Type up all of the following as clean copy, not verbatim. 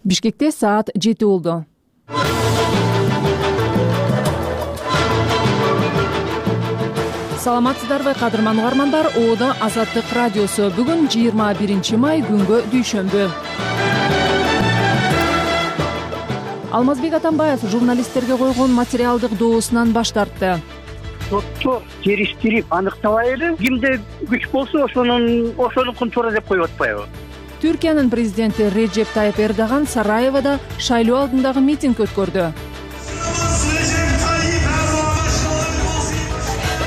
Бишкекте саат 7 болду. Саламатсыздарбы кадырман угармандар, Оодо Азаттык радиосу. Бүгүн 21 май күнгө дүйшөмбү. Алмазбек Атамбаев журналисттерге койгон материалдык доосунан баш тартты. Сотто териштирип аныктабай эле кимде күч болсо ошонукун туура деп коюп атпайбы? Түркиянын президенти Реджеп Тайып Эрдоган Сараевода шайлоо алдындагы митинг өткөрдү.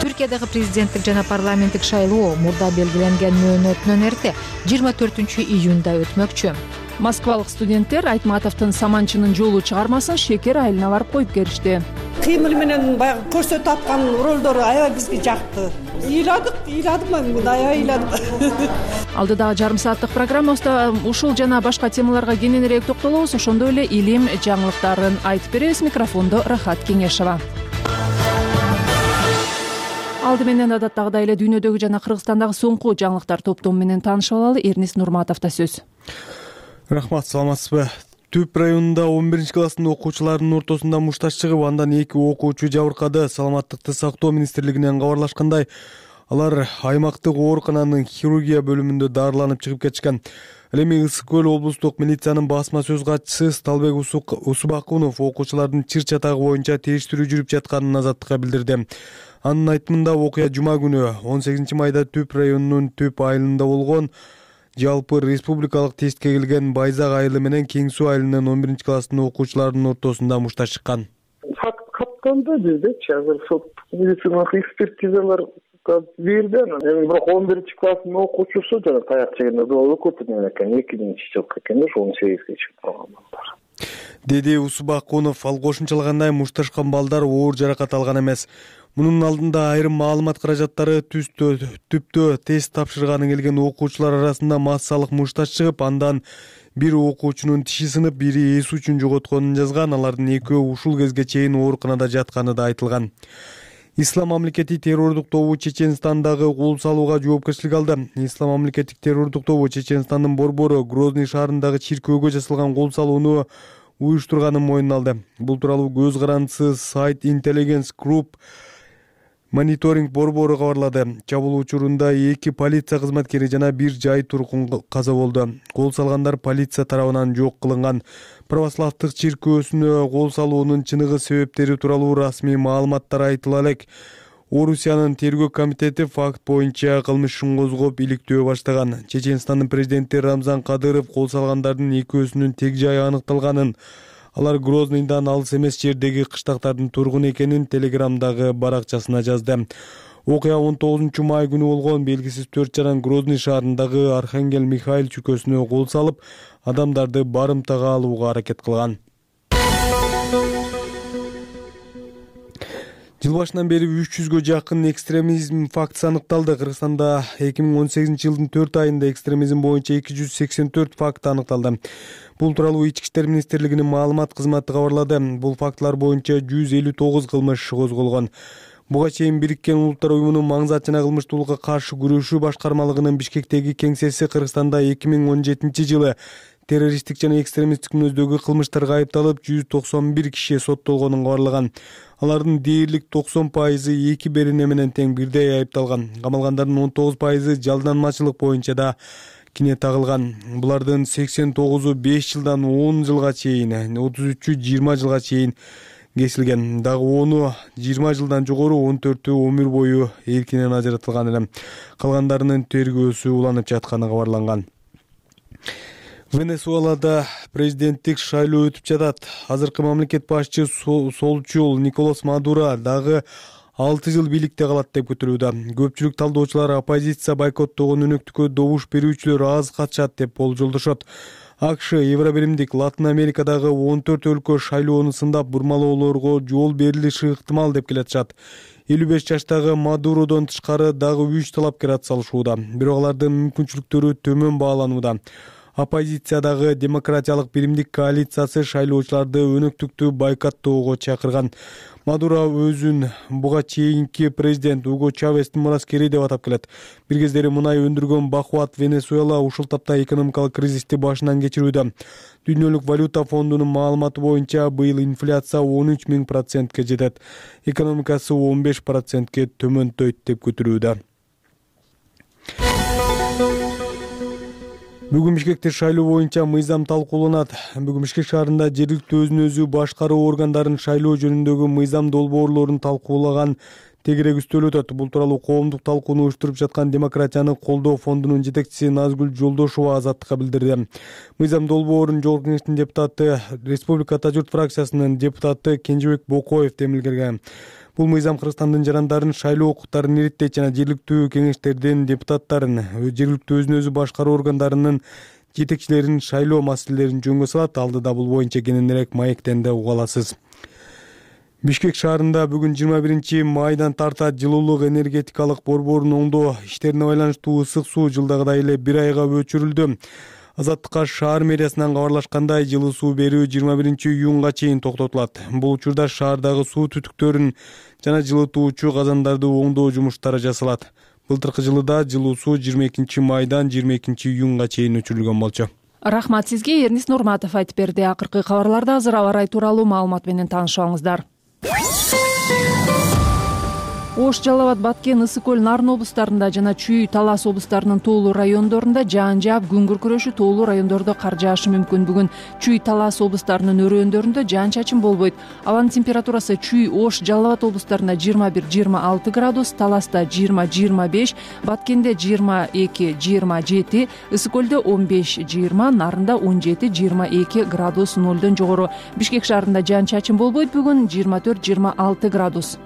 Түркиядагы президенттик жана парламенттик шайлоо мурда белгиленген мөөнөтүнөн эрте 24-июнда өтмөкчү. Москвалык студенттер Айтматовдун Саманчынын жолу чыгармасын шекер айылына барып коюп келишти. Кыймыл менен баягы көрсөтүп аткан ролдору аябай бизге жакты. Ыйладым мен, аябай ыйладым. Алдыдагы жарым сааттык программабызда ушул жана башка темаларга кененирээк токтолобуз. Ошондой эле илим жаңылыктарын айтып беребиз. Микрофондо Рахат Кеңешова. Алды менен адаттагыдай эле дүйнөдөгү жана Кыргызстандагы соңку жаңылыктар топтому менен таанышып алалы. Эрнис Нурматовдо сөз. Рахмат, саламатсызбы? Түп районунда 11 класстын окуучуларынын ортосунда мушташ чыгып, андан 2 окуучу жабыркады. Саламаттыкты сактоо министрлигинен кабарлашкандай, алар аймактык оорукананын хирургия бөлүмүндө дарыланып чыгып кетишкен. Ал эми Ысык көл облустук милициянын басма сөз катчысы Сталбек Усубакунов окуучулардын чыр-чатагы боюнча териштирүү жүрүп жатканын Азаттыкка билдирди. Анын айтымында окуя жума күнү 18 майда Түп районунун Түп айылында болгон. Жалпы республикалык тестке келген Байзак айылы менен Кең суу айылынын 11 класстын окуучуларынын ортосунда мушташ чыккан. Факт катталды биздечи, азыр сот медициналык экспертизалар берди. Бирок 11 класстын окуучусу жана таяк жегенде өкөтүнөн экен, 2-жылкы экен, 18-ге чыгып калган балдар. Деди Усубакунов. Ал кошумчалагандай, мушташкан балдар оор жаракат алган эмес. Мунун алдында айрым маалымат каражаттары түптө тест тапшырганы келген окуучулар арасында массалык мушташ чыгып, андан бир окуучунун тиши сынып, бири эс үчүн жоготконун жазган. Алардын экөө ушул кезге чейин ооруканада жатканы да айтылган. Ислам мамлекети террордук тобу Чеченстандагы кол салууга жоопкерчилик алды. Ислам мамлекеттик террордук тобу Чеченстандын борбору Грозный шаарындагы чиркөөгө жасалган кол салууну уюштурганын мойнуна алды. Бул тууралуу көз карандысы сайт Intelligence Group мониторинг борбору кабарлады. Чабуул учурунда 2 полиция кызматкери жана 1 жай тургун каза болду. Кол салгандар полиция тарабынан жок кылынган. Православдык чиркөөсүнө кол салуунун чыныгы себептери тууралуу расмий маалыматтар айтыла элек. Орусиянын тергөө комитети факт боюнча кылмыш ишин козгоп иликтөө баштаган. Чеченстандын президенти Рамзан Кадыров кол салгандардын экөөсүнүн тег жайы аныкталганын, алар Грознийдан алыс эмес жердеги кыштактардын тургуну экенин Телеграмдагы баракчасына жазды. Окуя 19 май күнү болгон. Белгисиз 4 жаран Грозный шаарындагы Архангел Михаил чүкөсүнө кол салып, адамдарды барымтага алууга аракет кылган. Жыл башынан бери 300гө жакын экстремизм фактысы аныкталды. Кыргызстанда 2018 жылдын 4 айында экстремизм боюнча 284 факт аныкталды. Бул тууралуу Ички иштер министрлигинин маалымат кызматы кабарлады. Бул фактылар боюнча 159 кылмыш иши козголгон. Буга чейин Бириккен Улуттар уюмунун маңзат жана кылмыштуулукка каршы күрөшүү башкармалыгынын Бишкектеги кеңсеси Кыргызстанда 2017 жылы террористтик жана экстремисттик мүнөздөгү кылмыштарга айыпталып 191 киши соттолгонун кабарлаган. Алардын дээрлик 90% 2 берене менен тең бирдей айыпталган. Камалгандардын 19% жалданмачылык боюнча да кине тагылган. Булардын 89-у 5 жылдан 10 жылга чейин, 33-ü 20 жылга чейин кесилген. Дагы 10-у 20 жылдан жогору, 14-ü өмүр бою эркинен ажыратылган эле. Калгандарынын тергөөсү уланып жатканы кабарланган. Венесуэлада президенттик шайлоо өтүп жатат. Азыркы мамлекет башчы солчул Николас Мадуро дагы 6 жыл бийликте калат деп күтүлүүдө. Көпчүлүк талдоочулар оппозиция бойкоттогон өнөктүккө добуш берүүчүлөр аз катышат деп болжолдошот. АКШ, Евробиримдик Латын Америкадагы 14 өлкө шайлоону сындап бурмалоолорго жол берилиши ыктымал деп келатышат. 55 жаштагы Мадуродон тышкары дагы 3 талапкер атсалышууда. Бирок алардын мүмкүнчүлүктөрү төмөн бааланууда. Оппозициядагы демократиялык биримдик коалициясы шайлоочуларды өнөктүктүү бойкоттоого чакырган. Мадуро өзүн буга чейинки президент Уго Чавестин мураскери деп атап келет. Бир кездери мунай өндүргөн бакубат Венесуэла ушул тапта экономикалык кризисти башынан кечирүүдө. Дүйнөлүк валюта фондунун маалыматы боюнча быйыл инфляция 13,000%ке жетет. Экономикасы 15%ке төмөндөйт деп күтүлүүдө. Бүгүн Бишкекте шайлоо боюнча мыйзам талкууланат. Бүгүн Бишкек шаарында жергиликтүү өзүн өзү башкаруу органдарын шайлоо жөнүндөгү мыйзам долбоорлорун талкуулаган тегерек үстөл өтөт. Бул тууралуу коомдук талкууну уюштуруп жаткан Демократияны колдоо фондунун жетекчиси Назгүл Жолдошова Азаттыкка билдирди. Мыйзам долбоорун Жогорку Кеңештин депутаты, Республика Журт фракциясынын депутаты Кенжебек Бокоев демилгерген. Бул мыйзам Кыргызстандын жарандарын шайлоо укуктарын иреттейт жана жергиликтүү кеңештердин депутаттарын, жергиликтүү өзүн өзү башкаруу органдарынын жетекчилерин шайлоо маселелерин жөнгө салат. Алдыда бул боюнча кененирээк маектенде уга аласыз. Бишкек шаарында бүгүн 21 майдан тарта жылуулук энергетикалык борборун оңдоо иштерине байланыштуу ысык суу жылдагыдай эле 1 айга өчүрүлдү. Азаттыкка шаар мэриясынан кабарлашкандай, жылуу суу берүү 21 июнга чейин токтотулат. Бул учурда шаардагы суу түтүктөрүн жана жылытуучу казандарды оңдоо жумуштары жасалат. Былтыркы жылы да жылуу суу 22 майдан 22 июнга чейин өчүрүлгөн болчу. Рахмат сизге. Эрнис Нурматов айтып берди. Акыркы кабарларда азыр аба ырайы тууралуу маалымат менен таанышып алыңыздар. Ош, Жалал Абад, Баткен, Ысык көл, Нарын облустарында жана Чүй, Талас облустарынын тоолуу райондорунда жаан жаап, күн күркүрөшү, тоолуу райондордо кар жаашы мүмкүн. Бүгүн Чүй, Талас облустарынын өрөөндөрүндө жаан чачын болбойт. Абанын температурасы Чүй, Ош, Жалал Абад облустарында 21-26 градус, Таласта 20-25, Баткенде 22-27, Ысык көлдө 15-20, Нарында 17-22 градус нолдон жогору. Бишкек шаарында жаан чачын болбойт. Бүгүн 24-26 градус.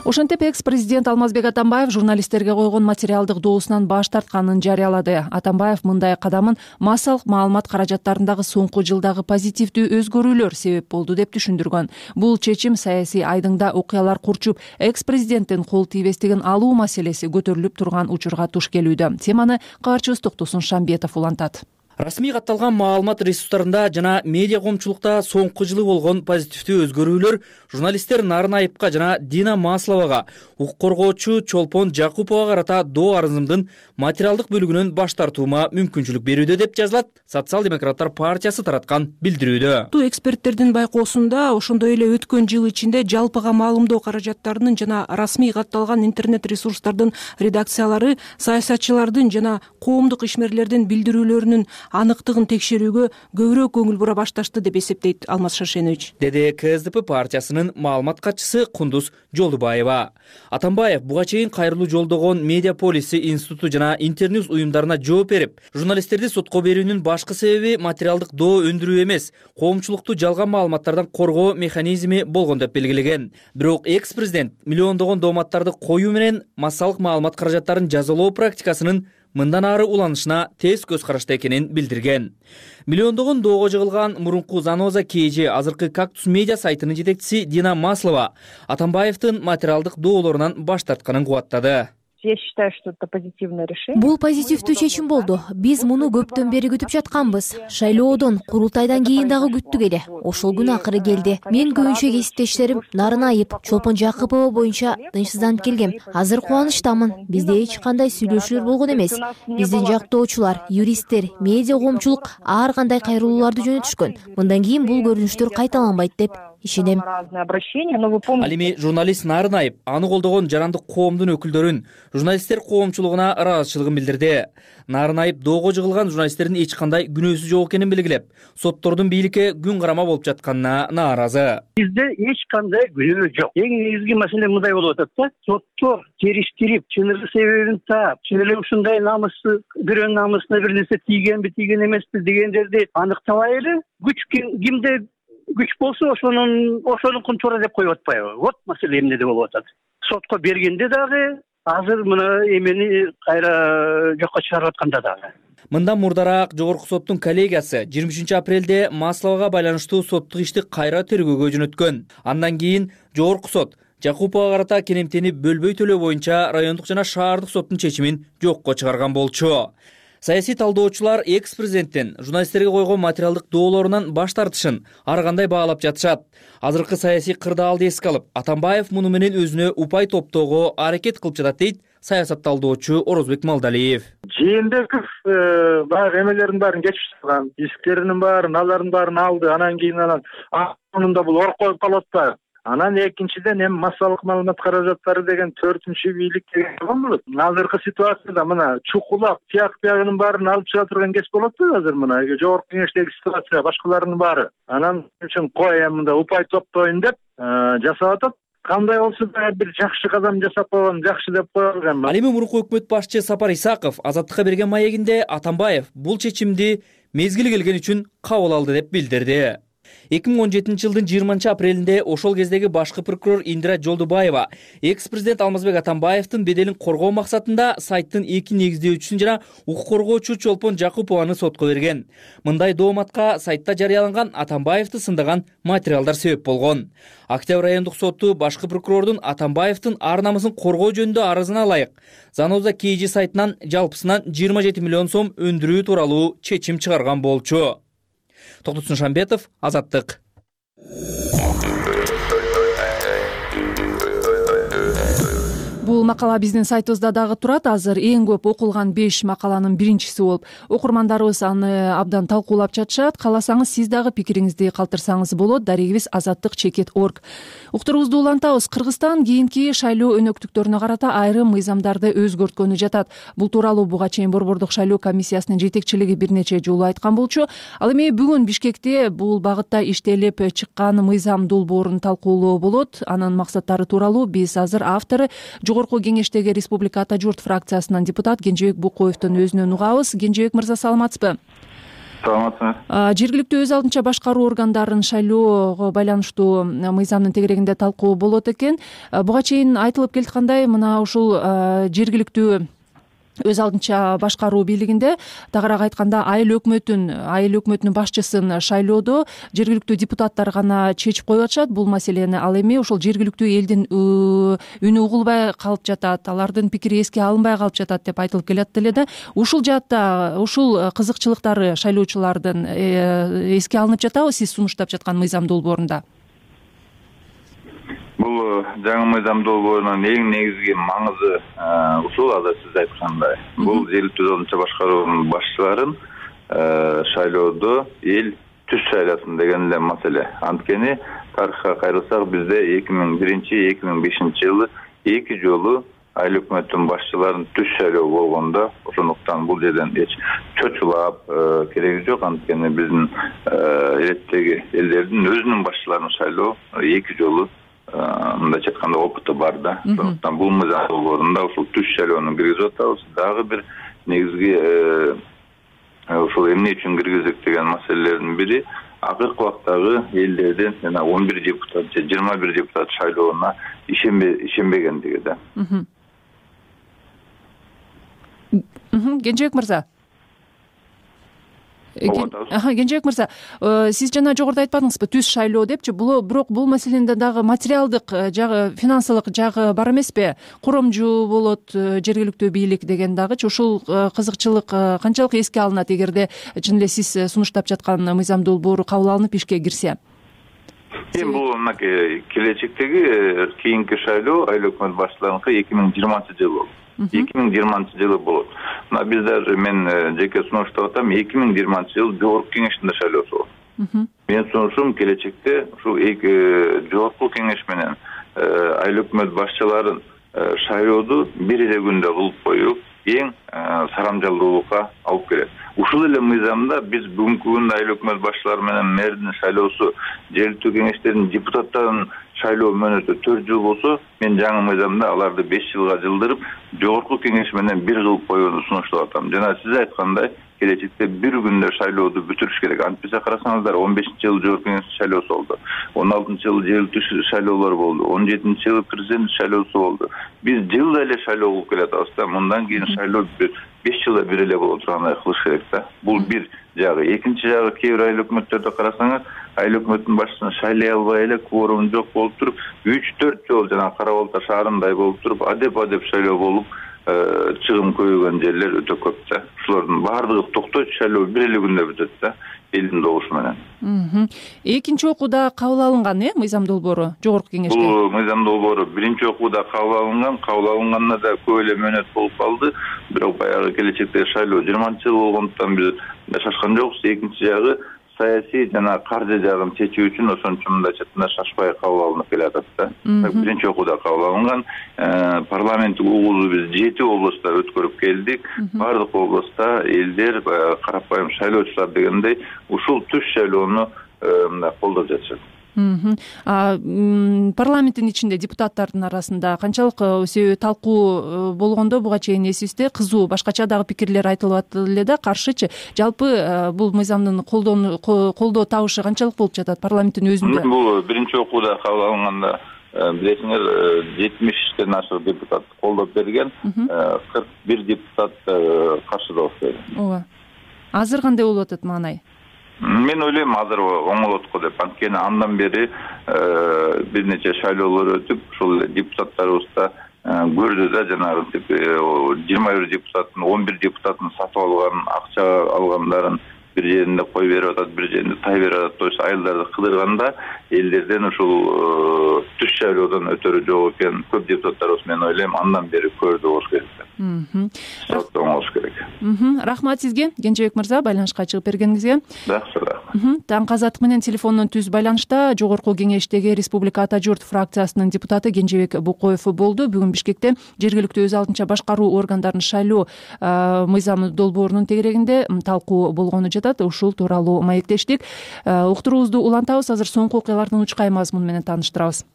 Ошентип экс-президент Алмазбек Атамбаев журналисттерге койгон материалдык доосунан баш тартканын жарыялады. Атамбаев мындай кадамын массалык маалымат каражаттарындагы соңку жылдагы позитивдүү өзгөрүүлөр себеп болду деп түшүндүргөн. Бул чечим саясий айдыңда окуялар курчуп, экс-президенттин кол тийбестигин алуу маселеси көтөрүлүп турган учурга туш келүүдө. Теманы кабарчыбыз Токтосун Шамбетов улантат. Расмий катталган маалымат ресурстарында жана медиа коомчулукта соңку жылы болгон позитивдүү өзгөрүүлөр журналисттер Нарын Айыпка жана Дина Масловага, укук коргоочу Чолпон Жакуповага карата доо арызымдын материалдык бөлүгүнөн баш тартуума мүмкүнчүлүк берүүдө деп жазылат Социал-демократтар партиясы тараткан билдирүүдө. Эксперттердин байкоосунда ошондой эле өткөн жыл ичинде жалпыга маалымдоо каражаттарынын жана расмий катталган интернет ресурстардын редакциялары саясатчылардын жана коомдук ишмерлердин билдирүүлөрүнүн аныктыгын текшерүүгө көбүрөөк көңүл бура башташты деп эсептейт Алмаз Шаршенович, деди КСДП партиясынын маалымат катчысы Кундуз Жолдубаева. Атамбаев буга чейин кайрылуу жолдогон Медиа Полиси институту жана Интерньюз уюмдарына жооп берип, журналисттерди сотко берүүнүн башкы себеби материалдык доо өндүрүү эмес, коомчулукту жалган маалыматтардан коргоо механизми болгон деп белгилеген. Бирок экс-президент миллиондогон дооматтарды коюу менен массалык маалымат каражаттарын жазалоо практикасынын мындан ары уланышына тез көз карашта экенин билдирген. Миллиондогон доого жыгылган мурунку Заноза КЖ, азыркы Кактус медиа сайтынын жетекчиси Дина Маслова Атамбаевдин материалдык доолорунан баш тартканын кубаттады. Я считаю, что это позитивное решение. Бул позитивдүү чечим болду. Биз муну көптөн бери күтүп жатканбыз. Шайлоодон, курултайдан кийин дагы күттүк эле. Ошол күн акыры келди. Мен көбүнчө кесиптештерим Нарын Айып, Чолпон Жакупова боюнча тынчсызданып келгем. Азыр кубанычтамын. Бизде эч кандай сүйлөшүүлөр болгон эмес. Биздин жактоочулар, юристтер, медиа коомчулук ар кандай кайрылууларды жөнөтүшкөн. Мындан кийин бул көрүнүштөр кайталанбайт деп ишенем. Ал эми журналист Нарын Айып аны колдогон жарандык коомдун өкүлдөрүн, журналисттер коомчулугуна ыраазычылыгын билдирди. Нарын Айып доого жыгылган журналисттердин эч кандай күнөөсү жок экенин белгилеп, соттордун бийликке күн карама болуп жатканына нааразы. Бизде эч кандай күнөө жок. Эң негизги маселе мындай болуп атат да. Соттор териштирип, чыныгы себебин таап, чын эле ушундай намысты, бирөөнүн намысына бир нерсе тийгенби, тийген эмеспи дегендерди аныктабай эле күч кимде күч болсо ошонун туура деп коюп атпайбы? Вот маселе эмнеде болуп атат. Сотко бергенде дагы, азыр мына эмени кайра жокко чыгарып атканда дагы. Мындан мурдараак Жогорку соттун коллегиясы 23 апрелде Масловага байланыштуу соттук ишти кайра тергөөгө жөнөткөн. Андан кийин Жогорку сот Жакуповго карата керемтени бөлбөй төлөө боюнча райондук жана шаардык соттун чечимин жокко чыгарган болчу. Саясий талдоочулар экс-президенттин журналисттерге койгон материалдык доолорунан баш тартышын ар кандай баалап жатышат. Азыркы саясий кырдаалды эске алып, Атамбаев муну менен өзүнө упай топтоого аракет кылып жатат дейт саясат талдоочу Орозбек Малдалиев. Жээнбеков баягы эмелердин баарын кечип чыккан, дисктеринин алардын баарын алды. Анан кийин анын бул ор коюп калат да. Анан экинчиден эми массалык маалымат каражаттары деген 4-чү бийлик деген болот. Азыркы ситуацияда мына чукулап, тияк-биягынын баарын алып чыга турган кез болот да азыр мына жогорку кеңештеги ситуация башкаларынын баары. Анан үчүн кой мында упай топтоюн деп жасап атат. Кандай болсо да бир жакшы кадам жасап койгон, жакшы деп коелган. Ал эми мурунку өкмөт башчы Сапар Исаков Азаттыкка берген маегинде Атамбаев бул чечимди мезгили келген үчүн кабыл алды деп билдирди. 2017-жылдын 20-апрелинде ошол кездеги башкы прокурор Индира Жолдубаева экс-президент Алмазбек Атамбаевдин беделин коргоо максатында сайттын 2 негиздөөчүсүн жана укук коргоочу Чолпон Жакупованы сотко берген. Мындай дооматка сайтта жарыяланган Атамбаевди сындаган материалдар себеп болгон. Октябрь райондук соту башкы прокурордун Атамбаевдин ар намысын коргоо жөнүндө арызына ылайык Заноза KG сайтынан жалпысынан 27 миллион сом өндүрүү тууралуу чечим чыгарган болчу. Токтотун Шамбетов, Азаттык. Бул макала биздин сайтыбызда дагы турат. Азыр эң көп окулган 5 макаланын биринчиси болуп, окурмандарыбыз аны абдан талкуулап жатышат. Кааласаңыз сиз дагы пикириңизди калтырсаңыз болот. Дарегибиз azattik.org. Уктурубузду улантабыз. Кыргызстан кийинки шайлоо өнөктүктөрүнө карата айрым мыйзамдарды өзгөрткөнү жатат. Бул тууралуу буга чейин Борбордук шайлоо комиссиясынын жетекчилиги бир нече жолу айткан болчу. Ал эми бүгүн Бишкекте бул багытта иштелип чыккан мыйзам долбоорун талкуулоо болот. Анын максаттары тууралуу биз азыр автору Жогорку кеңештеги Республика Ата журт фракциясынан депутат Кенжебек Букоевдун өзүнөн угабыз. Кенжебек мырза, саламатсызбы? Саламатсызбы. Жергиликтүү өз алдынча башкаруу органдарын шайлоого байланыштуу мыйзамдын тегерегинде талкуу болот экен. Буга чейин айтылып келаткандай, мына ушул жергиликтүү өз алдынча башкаруу бийлигинде тагыраак айтканда айыл өкмөтүнүн башчысын шайлоодо жергиликтүү депутаттар гана чечип коюп атышат бул маселени. Ал эми ошол жергиликтүү элдин үнү угулбай калып жатат, алардын пикири эске алынбай калып жатат деп айтылып келет эле да. Ушул жаатта ушул кызыкчылыктары шайлоочулардын эске алынып жатабы сиз сунуштап жаткан мыйзам долбоорунда? Бул жаңы мыйзам долбоорунун эң негизги маңызы ушул азыр сиз айткандай. Бул жергиликтүү өз алдынча башкаруунун башчыларын шайлоодо эл түз шайласын деген эле маселе. Анткени тарыхка кайрылсак бизде 2001-2005 жылы 2 жолу айыл өкмөттүн башчыларын түз шайлоо болгондо, ошондуктан бул жерден эч чочулап кереги жок. Анткени биздин элеттеги элдердин өзүнүн башчыларын шайлоо 2 жолу мындайча айтканда опыту бар да. Ошондуктан бул мыйзам долбоорунда ушул түз шайлоону киргизип атабыз. Дагы бир негизги ушул эмне үчүн киргиздик деген маселелердин бири акыркы убактагы элдердин жана 11 депутат же 21 депутат шайлооуна ишенбегендиги да. Кенжебек мырза. Кенжебек мырза, сиз жана жогоруда айтпадыңызбы түз шайлоо депчи? Бирок бул маселенде дагы материалдык жагы, финансылык жагы бар эмеспи? Куромжу болот жергиликтүү бийлик деген дагычы. Ушул кызыкчылык канчалык эске алынат эгерде чын эле сиз сунуштап жаткан мыйзам долбоору кабыл алынып ишке кирсе? Эми бул келечектеги кийинки шайлоо айыл өкмөт башчыларыныкы 2020-жылы болот. 2020-жылы болот. Мына биздер мен жеке сунуштап атам, 2020-жылы жогорку кеңештин шайлоосу болот. Менин сунушум келечекте ушул жогорку кеңеш менен айыл өкмөт башчыларын шайлоодо бир эле күндө кылып коюп, эң сарамжалдуулукка алып келет. Ушул эле мыйзамда биз бүгүнкү күндө айыл өкмөт башчылары менен мэрдин шайлоосу, жергиликтүү кеңештердин депутаттарынын шайлоо мөөнөтү 4 жыл болсо, мен жаңы мыйзамда аларды 5 жылга жылдырып, жогорку кеңеш менен 1 кылып коюуну сунуштап атам. Жана сиз айткандай, келечекте бир күндө шайлооду бүтүрүш керек. Антпесе карасаңыздар, 15-жылы жогорку кеңеш шайлоосу болду, 16-жылы жергиликтүү шайлоолор болду, 17-жылы президент шайлоосу болду. Биз жылда эле шайлоо кылып келатабыз да, мындан кийин шайлоо 5 жылда бир эле боло тургандай кылыш керек да. Бул бир жагы. Экинчи жагы, кээ бир айыл өкмөттөрдө карасаңыз, айыл өкмөтүнүн башчысын шайлай албай эле кворум жок болуп туруп 3-4 жолу жана Кара Балта шаарындай болуп туруп адеп шайлоо болуп чыгым көбөйгөн жерлер өтө көп да. Ушулардын баардыгы токтойт, шайлоо бир эле күндө бүтөт да. Элдин добушу менен. Экинчи окууда кабыл алынган мыйзам долбоору жогорку кеңеште. Бул мыйзам долбоору биринчи окууда кабыл алынганына да көп эле мөөнөт болуп калды. Бирок баягы келечектеги шайлоо 20-жыл болгондуктан биз шашкан жокпуз. Экинчи жагы саясий жана каржы жагын чечүү үчүн ошончо мындайча шашпай кабыл алынып келатат да. Биринчи окууда кабыл алынган. Парламенттик угулду биз 7 областта өткөрүп келдик. Бардык областта элдер карапайым шайлоочулар дегендей ушул түз шайлоону колдоп жатышат. Парламенттин ичинде депутаттардын арасында канчалык себеби талкуу болгондо буга чейин эсибизде кызуу башкача дагы пикирлер айтылып атты эле да, каршычы. Жалпы бул мыйзамдын колдоо табышы канчалык болуп жатат парламенттин өзүндө? Бул биринчи окууда кабыл алынганда билесиңер 70ден ашык депутат колдоп берген, 41 депутат каршы дауыс берген. Ооба. Азыр кандай болуп атат маанай? Мен ойлойм азыр оңолот го деп. Анткени андан бери бир нече шайлоолор өтүп, ушул депутаттарыбызда көрдү да, жанагы 21 депутаттын 11 депутатын сатып алган, акча алгандарын бир жеринде кой берип атат, бир жеринде тай берип атат. То есть айылдарды кыдырганда элдерден ушул түз шайлоодон өтөрү жок экен. Көп депутаттарыбыз мен ойлойм андан бери көрдү болуш керек. Оңолуш керек. Рахмат сизге, Кенжебек мырза, байланышка чыгып бергениңизге. Жакшы, рахмат. Таңкы азаттык менен телефондон түз байланышта жогорку кеңештеги Республика Ата журт фракциясынын депутаты Кенжебек Букоев болду. Бүгүн Бишкекте жергиликтүү өз алдынча башкаруу органдарын шайлоо мыйзамы долбоорунун тегерегинде талкуу болгону жатат. Ушул тууралуу маектештик. Уктуруубузду улантабыз. Азыр соңку окуялардын учкай мазмуну менен тааныштырабыз.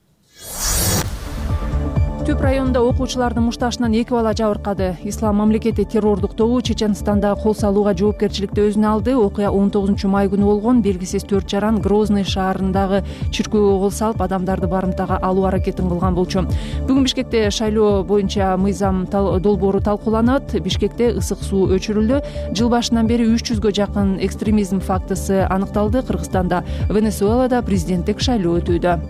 Түп районунда окуучулардын мушташынан 2 бала жабыркады. Ислам мамлекети террордук тобу Чеченстанда кол салууга жоопкерчиликти өзүнө алды. Окуя 19 май күнү болгон. Белгисиз 4 жаран Грозный шаарындагы чиркөөгө кол салып, адамдарды барымтага алуу аракетин кылган болчу. Бүгүн Бишкекте шайлоо боюнча мыйзам долбоору талкууланат. Бишкекте ысык суу өчүрүлдү. Жыл башынан бери 300гө жакын экстремизм фактысы аныкталды. Кыргызстанда, Венесуэлада президенттик шайлоо өтүүдө.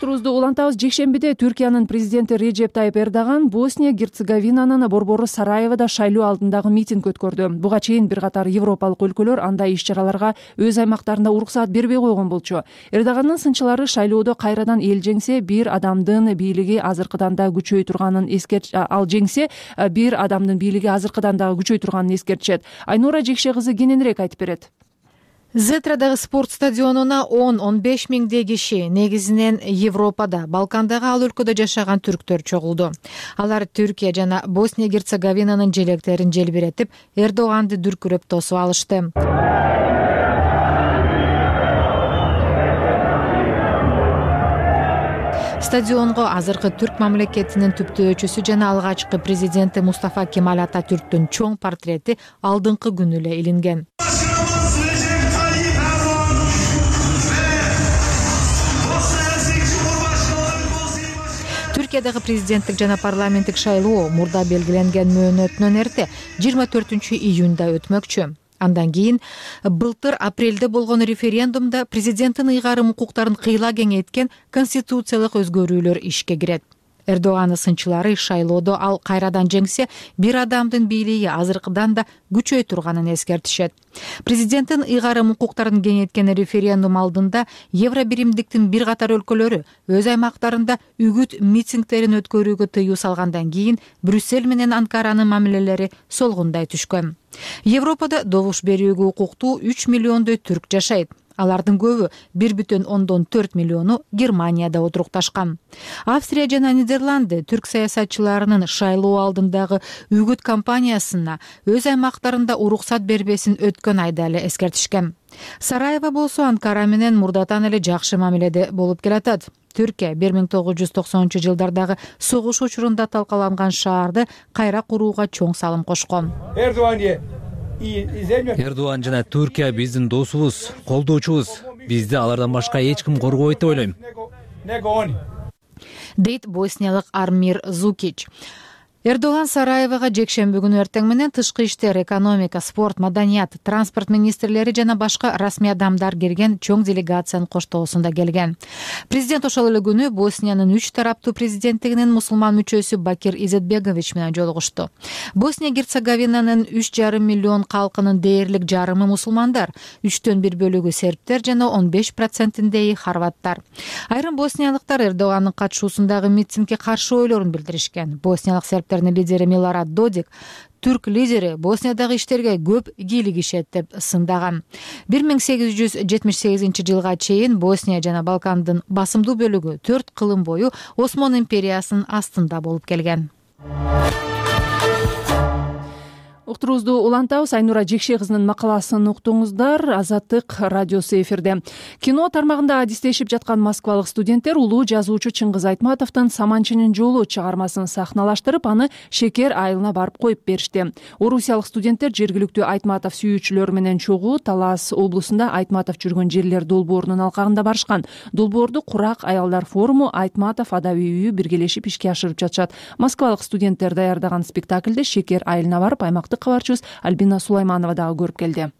Уктуруубузду улантабыз. Жекшембиде Түркиянын президенти Реджеп Тайып Эрдоган Босния Герцеговинанын борбору Сараевода шайлоо алдындагы митинг өткөрдү. Буга чейин бир катар европалык өлкөлөр андай иш-чараларга өз аймактарында уруксаат бербей койгон болчу. Эрдогандын сынчылары шайлоодо кайрадан эл жеңсе, бир адамдын бийлиги азыркыдан да күчөй турганын эскертишет. Айнура Жекше кызы кененирээк айтып берет. Зетрадагы спорт стадионуна 10-15 миңдей киши, негизинен Европада, Балкандагы ал өлкөдө жашаган түрктөр чогулду. Алар Түркия жана Босния Герцеговинанын желектерин желбиретип, Эрдоганды дүркүрөп тосуп алышты. Стадионго азыркы түрк мамлекетинин түптөөчүсү жана алгачкы президенти Мустафа Кемаль Ататүрктүн чоң портрети алдыңкы күнү эле илинген. Түркиядагы президенттик жана парламенттик шайлоо мурда белгиленген мөөнөтүнөн эрте 24 июнда өтмөкчү. Андан кийин былтыр апрелде болгон референдумда президенттин ыйгарым укуктарын кыйла кеңейткен конституциялык өзгөрүүлөр ишке кирет. Эрдогандын сынчылары шайлоодо ал кайрадан жеңсе, бир адамдын бийлиги азыркыдан да күчөй турганын эскертишет. Президенттин ыйгарым укуктарын кеңейткен референдум алдында Евробиримдиктин бир катар өлкөлөрү өз аймактарында үгүт митингдерин өткөрүүгө тыюу салгандан кийин Брюссель менен Анкаранын мамилелери солгундай түшкөн. Европада добуш берүүгө укуктуу 3 миллиондой түрк жашайт. Алардын көбү 1,4 миллиону Германияда отурукташкан. Австрия жана Нидерланды түрк саясатчыларынын шайлоо алдындагы үгүт кампаниясына өз аймактарында уруксат бербесин өткөн айда эле эскертишкен. Сараево болсо Анкара менен мурдатан эле жакшы мамиледе болуп келатат. Түркия 1990-жылдардагы согуш учурунда талкаланган шаарды кайра курууга чоң салым кошкон. Эрдоган жана Түркия биздин досубуз, колдоочубуз. Бизди алардан башка эч ким коргобойт деп ойлойм. Дейт босниялык Армир Зукич. Эрдоган Сараевага жекшемби күнү эртең менен тышкы иштер, экономика, спорт, маданият, транспорт министрлери жана башка расмий адамдар келген чоң делегациянын коштоосунда келген. Президент ошол эле күнү Босниянын 3 тараптуу президенттигинин мусулман мүчөсү Бакир Изетбегович менен жолугушту. Босния-Герцеговинанын 3,5 миллион калкынын дээрлик жарымы мусулмандар, 3/1 бөлүгү сербтер жана 15%-ндеги хорваттар. Айрым босниялыктар Эрдогандын катышуусундагы митингге каршы ойлорун билдиришкен. Босниялык лидери Милорад Додик түрк лидери Босниядагы иштерге көп кийлигишет деп сындаган. 1878 жылга чейин Босния жана Балкандын басымдуу бөлүгү 4 кылым бою Осман империясынын астында болуп келген. Уктуруубузду улантабыз. Айнура Жекше кызынын макаласын уктуңуздар. Азаттык радиосу эфирде. Кино тармагында адистешип жаткан москвалык студенттер улуу жазуучу Чыңгыз Айтматовдун «Саманчынын жолу» чыгармасын сахналаштырып, аны Шекер айылына барып коюп беришти. Орусиялык студенттер жергиликтүү Айтматов сүйүүчүлөр менен чогуу Талас облусунда Айтматов жүргөн жерлер долбоорунун алкагында барышкан. Долбоорду Курак аялдар форуму, Айтматов адабий үйү биргелешип ишке ашырып жатышат. Москвалык студенттер даярдаган спектакльде Шекер айылына барып аймактык кабарчыбыз Альбина Сулайманова дагы көрүп келди.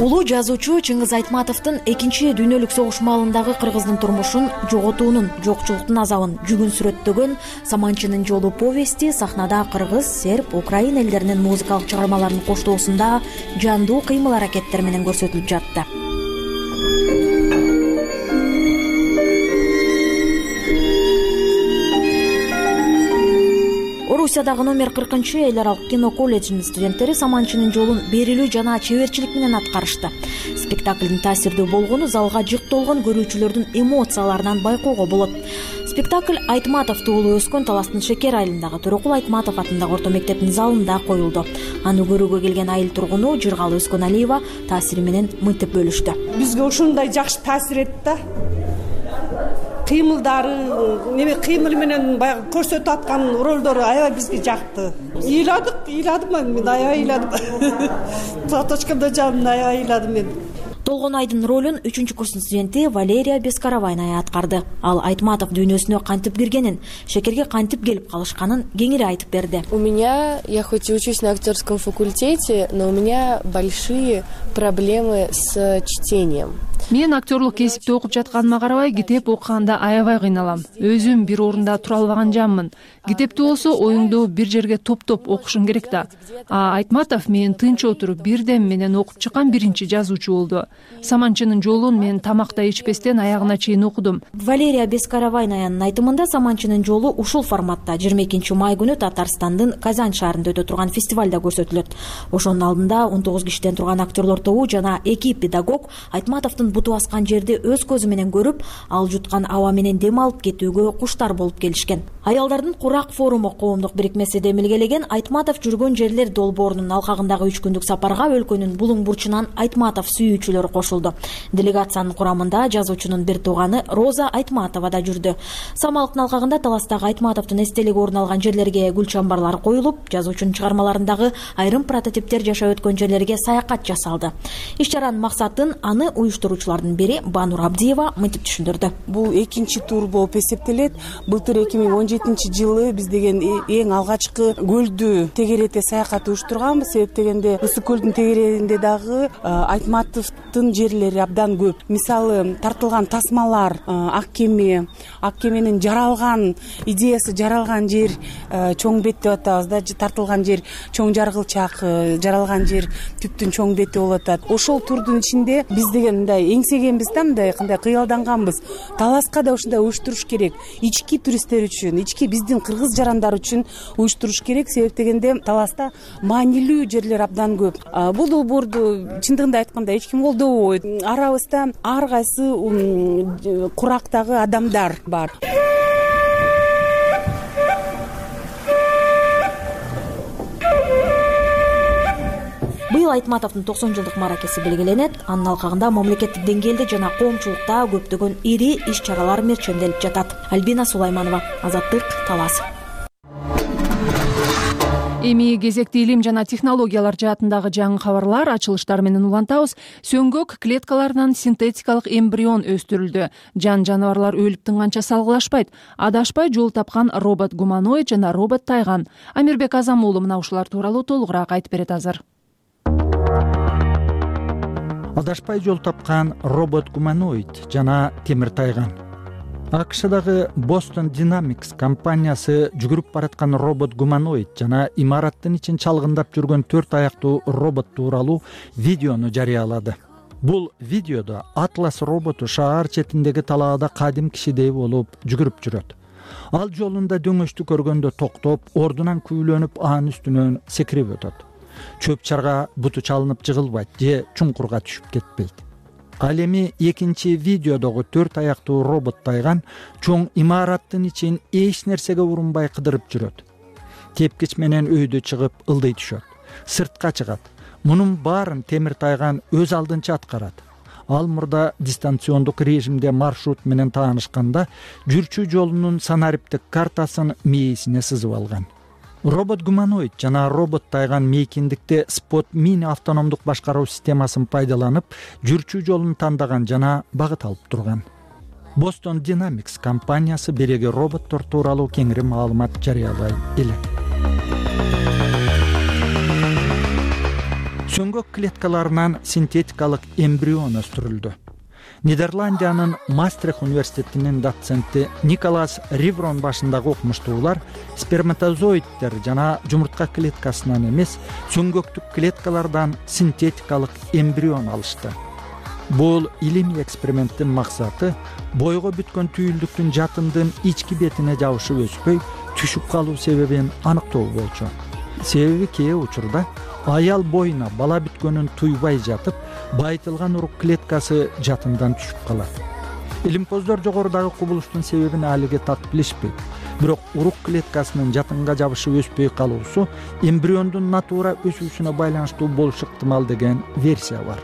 Улуу жазуучу Чыңгыз Айтматовдун 2 дүйнөлүк согуш маалындагы кыргыздын турмушун, жоготуунун, жокчулуктун азабын жүгүн сүрөттөгөн «Саманчынын жолу» повести сахнада кыргыз, серб, украин элдеринин музыкалык чыгармаларынын коштоосунда жандуу кыймыл аракеттер менен көрсөтүлүп жатты. Орусиядагы номер 40 эл аралык кино колледжинин студенттери «Саманчынын жолун» берилүү жана чеберчилик менен аткарышты. Спектаклдин таасирдүү болгону залга жык толгон көрүүчүлөрдүн эмоцияларынан байкоого болот. Спектакль Айтматов туулуп өскөн Таластын Шекер айылындагы Төрөкул Айтматов атындагы орто мектептин залында коюлду. Аны көрүүгө келген айыл тургуну Жыргалы Өскөналиева таасири менен мынтип бөлүштү. Бизге ушундай жакшы таасир этти да. Кыймылдары, кыймыл менен баягы көрсөтүп аткан ролдору аябай бизге жакты. Ыйладым мен аябай ыйладым. Платочкамда жанымда аябай ыйладым мен. Толгон айдын ролун 3-курстун студенти Валерия Бескаравайная аткарды. Ал Айтматов дүйнөсүнө кантип киргенин, Шекерге кантип келип калышканын кеңири айтып берди. Я хоть и учусь на актерском факультете, но у меня большие проблемы с чтением. Мен актерлук кесипте окуп жатканыма карабай, китеп окуганда аябай кыйналам. Өзүм бир орунда тура албаган жаммын. Китепти болсо оюңду бир жерге топтоп окушуң керек да. Айтматов мен тынч отуруп бирдем менен окуп чыккан биринчи жазуучу болду. «Саманчынын жолун» мен тамакта ичпестен аягына чейин окудум. Валерия Бескаравайнаянын айтымында «Саманчынын жолу» ушул форматта 22 май күнү Татарстандын Казань шаарында өтө турган фестивалда көрсөтүлөт. Ошонун алдында 19 кишиден турган актерлор тобу жана 2 педагог Айтматовдун буту аскан жерди өз көзү менен көрүп, ал жуткан аба менен дем алып кетүүгө куштар болуп келишкен. Аялдардын Курак форуму коомдук бирикмеси демилгелеген Айтматов жүргөн жерлер долбоорунун алкагындагы 3 күндүк сапарга өлкөнүн булуң бурчунан Айтматов сүйүүчүлөрү кошулду. Делегациянын курамында жазуучунун бир тууганы Роза Айтматова да жүрдү. Самалыктын алкагында Таластагы Айтматовдун эстелиги орун алган жерлерге гүл чамбарлар коюлуп, жазуучунун чыгармаларындагы айрым прототиптер жашап өткөн жерлерге саякат жасалды. Иш-чаранын максатын аны уюштуруучулардын бири Банур Абдиева мынтип түшүндүрдү. Бул экинчи тур болуп эсептелет. Былтыр 2017 жылы биз деген эң алгачкы көлдү тегерете саякат уюштурганбыз. Себеп дегенде Ысык көлдүн тегерегинде дагы Айтматовдун жерлери абдан көп. Мисалы, тартылган тасмалар, ак кеменин жаралган идеясы жаралган жер чоң бет деп атабыз да, тартылган жер чоң жаргылчак, жаралган жер түптүн чоң бети болуп атат. Ошол турдун ичинде биз деген мындай эңсегенбиз да, мындай кандай кыялданганбыз. Таласка да ушундай уюштуруш керек. Ички туристтер үчүн, ички биздин кыргыз жарандар үчүн уюштуруш керек. Себеп дегенде Таласта маанилүү жерлер абдан көп. Бул долбоорду чындыгында айтканда эч ким колдобойт. Арабызда ар кайсы Курактагы адамдар бар. Быйыл Айтматовдун 90 жылдык маракеси белгиленет. Анын алкагында мамлекеттик деңгээлде жана коомчулукта көптөгөн ири иш-чаралар мерченделип жатат. Альбина Сулайманова, Азаттык, Талас. Эми кезекти илим жана технологиялар жаатындагы жаңы кабарлар, ачылыштар менен улантабыз. Сөңгөк клеткаларынан синтетикалык эмбрион өстүрүлдү. Жаныбарлар өлүп тынганча салгылашпайт. Адашпай жол тапкан робот-гуманоид жана робот-тайган. Амирбек Азам уулу мына ушулар тууралуу толугураак айтып берет азыр. Адашпай жол тапкан робот-гуманоид жана темир тайган. АКШдагы Boston Dynamics компаниясы жүгүрүп бараткан робот-гуманоид жана имараттын ичин чалгындап жүргөн 4 аяктуу робот тууралуу видеону жарыялады. Бул видеодо Атлас роботу шаар четиндеги талаада кадим кишидей болуп жүгүрүп жүрөт. Ал жолунда дөңөштү көргөндө токтоп, ордунан күйлөнүп, анын үстүнөн секирип өтөт. Чөп чарга буту чалынып жыгылбайт же чуңкурга түшүп кетпейт. Ал эми экинчи видеодогу 4 аяктуу робот тайган чоң имараттын ичин эч нерсеге урунбай кыдырып жүрөт. Тепкич менен өйдө чыгып ылдый түшөт. Сыртка чыгат. Мунун баарын темир тайган өз алдынча аткарат. Ал мурда дистанциондук режимде маршрут менен таанышканда жүрчү жолунун санариптик картасын мээсине сызып алган. Робот-гуманоид жана робот-тайган мейкиндикте Spot Mini автономдук башкаруу системасын пайдаланып, жүрчү жолун тандаган жана багыт алып турган. Boston Dynamics компаниясы береги роботтор тууралуу кеңири маалымат жарыялай элек. Сөңгөк клеткаларынан синтетикалык эмбрион өстүрүлдү. Нидерландиянын Мастрих университетинин доценти Николас Риврон башындагы окумуштуулар сперматозоидтер жана жумуртка клеткасынан эмес, сөңгөктүк клеткалардан синтетикалык эмбрион алышты. Бул илимий эксперименттин максаты бойго бүткөн түйүлдүктүн жатындын ички бетине жабышып өспөй, түшүп калуу себебин аныктоо болчу. Себеби кээ учурда аял боюна бала бүткөнүн туйбай жатып, байытылган урук клеткасы жатындан түшүп калат. Илимпоздор жогорудагы кубулуштун себебин алиге так билишпейт. Бирок урук клеткасынын жатынга жабышып өспөй калуусу эмбриондун натура өсүүсүнө байланыштуу болушу ыктымал деген версия бар.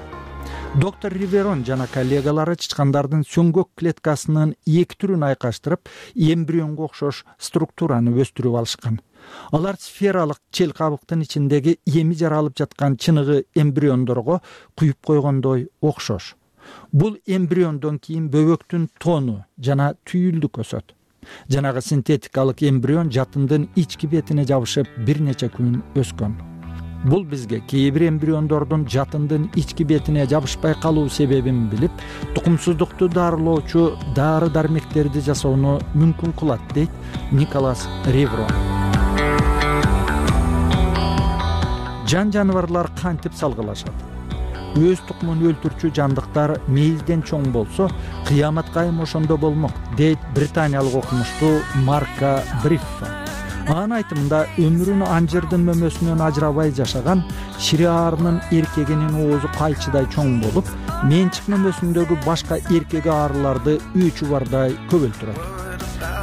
Доктор Риверон жана коллегалары чычкандардын сөңгөк клеткасынын эки түрүн айкаштырып, эмбрионго окшош структураны өстүрүп алышкан. Алар сфералык чел кабыктын ичиндеги эми жаралып жаткан чыныгы эмбриондорго куюп койгондой окшош. Бул эмбриондон кийин бөбөктүн тону жана түйүлдүк өсөт. Жанагы синтетикалык эмбрион жатындын ички бетине жабышып бир нече күн өскөн. Бул бизге кээ бир эмбриондордун жатындын ички бетине жабышпай калуу себебин билип, тукумсуздукту дарылоочу дары-дармектерди жасоону мүмкүн кылат, дейт Николас Риврон. Жаныбарлар кантип салгылашат? Өз тукумун өлтүрчү жандыктар мейизден чоң болсо, кыямат кайым ошондо болмок, дейт британиялык окумуштуу Марка Бриффа. Анын айтымында өмүрүн анжырдын мөмөсүнөн ажырабай жашаган шириаарынын эркегинин оозу кайчыдай чоң болуп, менчик мөмөсүндөгү башка эркек аарыларды үчү бардай көбөлтүрөт.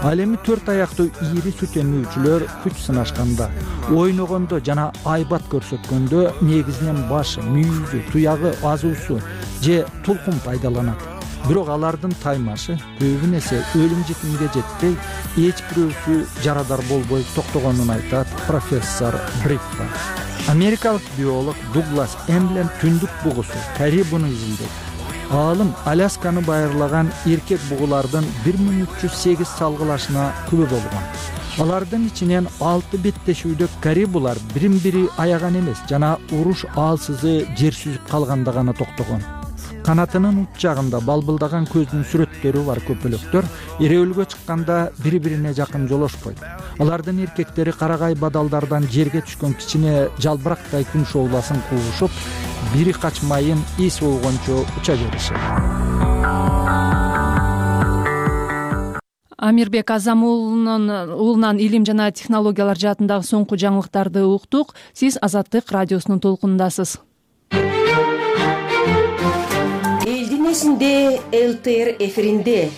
Ал эми 4 аяктуу ийри сүт эмүүчүлөр күч сынашканда, ойногондо жана айбат көрсөткөндө негизинен башы, мүйүзү, туягы, азуусу же тулкун пайдаланат. Бирок алардын таймашы көбүн эсе өлүм жетимге жетпей, эч бирөөсү жарадар болбой токтогонун айтат профессор Бриффа. Америкалык биолог Дуглас Эмблем түндүк бугусу карибуну изилдейт. Аалым Алясканы байырлаган эркек бугулардын 1308 салгылашына күбө болгон. Алардын ичинен 6 беттешүүдө карибулар бирин-бири аяган эмес жана уруш аалсызы жер сүзүп калганда гана токтогон. Канатынын ут жагында балбылдаган көздүн сүрөттөрү бар көпөлөктөр эреөлгө чыкканда бири-бирине жакын жолошпойт. Алардын эркектери карагай бадалдардан жерге түшкөн кичине жалбырактай күн шоуласын куушуп, бири качмайын эс болгончо уча беришет. Амирбек Азам уулунан илим жана технологиялар жаатындагы соңку жаңылыктарды уктук. Сиз Азаттык радиосунун толкунундасыз. Элдин ЛТР эфиринде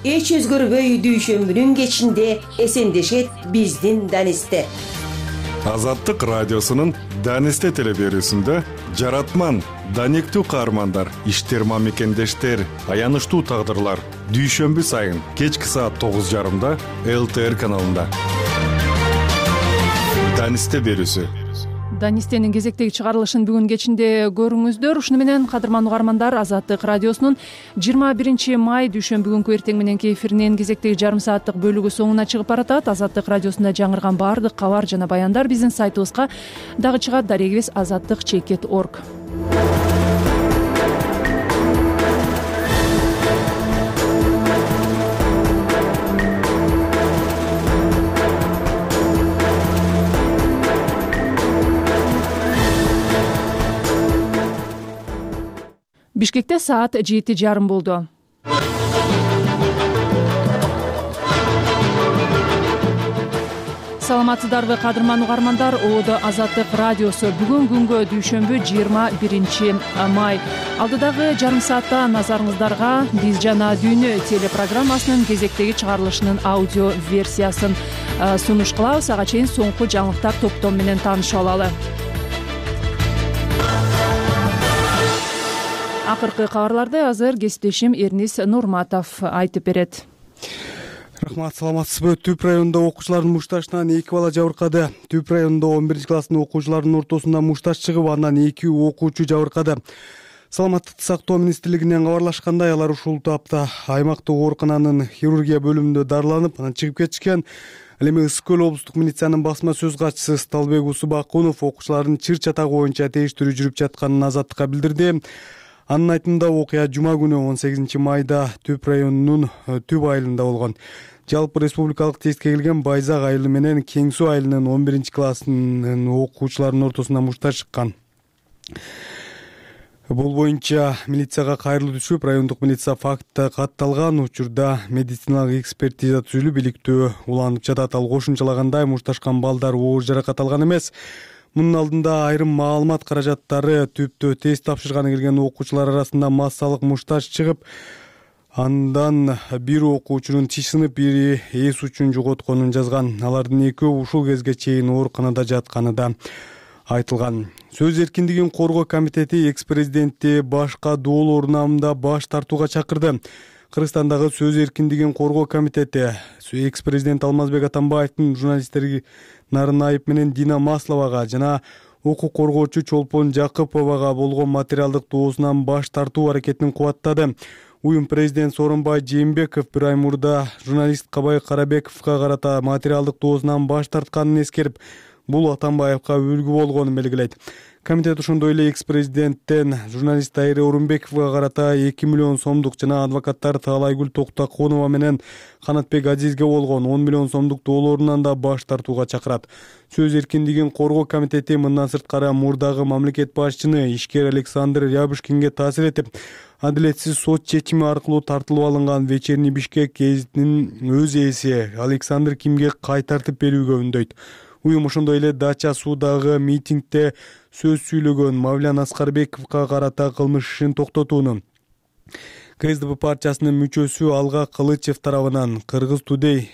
эч өзгөрбөй дүйшөмбүнүн кечинде эсендешет биздин Данисте. Азаттык радиосунун Данисте телеберүүсүндө жаратман, данектүү каармандар, иштерма мекендештер, аянычтуу тагдырлар дүйшөмбү сайын кечки саат 9:30 ЛТР каналында. Данисте берүүсү. Данистенин кезектеги чыгарылышын бүгүн кечинде көрүңүздөр. Ушуну менен кадырман угармандар, Азаттык радиосунун 21 май дүйшөмбү күнкү эртең мененки эфиринин кезектеги жарым сааттык бөлүгү соңуна чыгып баратат. Азаттык радиосунда жаңырган баардык кабар жана баяндар биздин сайтыбызга дагы чыгат. Дарегибиз azаттык.org. Бишкекте саат 7:30 болду. Саламатсыздарбы кадырман угармандар, ободо Азаттык радиосу. Бүгүн күнгө дүйшөмбү 21 май. Алдыдагы жарым саатта назарыңыздарга Биз жана дүйнө телепрограммасынын кезектеги чыгарылышынын аудио версиясын сунуш кылабыз. Ага чейин соңку жаңылыктар топтом менен таанышып алалы. Акыркы кабарларды азыр кесиптешим Эрнис Нурматов айтып берет. Рахмат, саламатсызбы? Түп районунда окуучулардын мушташынан 2 бала жабыркады. Түп районунда 11 класстын окуучуларынын ортосунда мушташ чыгып, андан 2 окуучу жабыркады. Саламаттыкты сактоо министрлигинен кабарлашкандай, алар ушул тапта аймактык оорукананын хирургия бөлүмүндө дарыланып, анан чыгып кетишкен. Ал эми Ысык көл облустук милициянын басма сөз катчысы Сталбек Усубакунов окуучулардын чыр чатагы боюнча териштирүү жүрүп жатканын Азаттыкка билдирди. Анын айтымында окуя жума күнү 18 майда Түп районунун Түп айылында болгон. Жалпы республикалык тестке келген Байзак айылы менен Кең суу айылынын 11 класснын окуучуларынын ортосунда мушташ чыккан. Бул боюнча милицияга кайрылуу түшүп, райондук милиция факты катталган учурда медициналык экспертиза түзүлүп, иликтөө уланып жатат. Ал кошумчалагандай, мушташкан балдар оор жаракат алган эмес. Мунун алдында айрым маалымат каражаттары Түптө тест тапшырганы келген окуучулар арасында массалык мушташ чыгып, андан бир окуучунун тиш сынып, бири эс учун жоготконун жазган. Алардын экөө ушул кезге чейин ооруканада жатканы да айтылган. Сөз эркиндигин коргоо комитети экс-президентти башка доолор намында баш тартууга чакырды. Кыргызстандагы сөз эркиндигин коргоо комитети экс-президент Алмазбек Атамбаевдин журналисттерге Нарынайып менен Дина Масловага жана укук коргоочу Чолпон Жакыповага болгон материалдык доосунан баш тартуу аракетин кубаттады. Уюм президент Сооронбай Жээнбеков бир ай мурда журналист Кабай Карабековго карата материалдык доосунан баш тартканын эскерип, бул Атамбаевга үлгү болгонун белгилейт. Комитет ошондой эле экс-президенттен журналист Тайыр Орунбековго карата 2 миллион сомдук жана адвокаттар Таалайгүл Токтоконова менен Канатбек Азизге болгон 10 миллион сомдук доолорунан да баш тартууга чакырат. Сөз эркиндигин коргоо комитети мындан сырткары мурдагы мамлекет башчыны ишкер Александр Рябушкинге таасир этип, адилетсиз сот чечими аркылуу тартылып алынган Вечерний Бишкек гезитинин өз ээси Александр Кимге кайтартып берүүгө үндөйт. Уюм ошондой эле Дача суудагы митингде сөз сүйлөгөн Мавлян Аскарбековго карата кылмыш ишин токтотууну, КСДП партиясынын мүчөсү Алга Кылычев тарабынан Кыргыз Today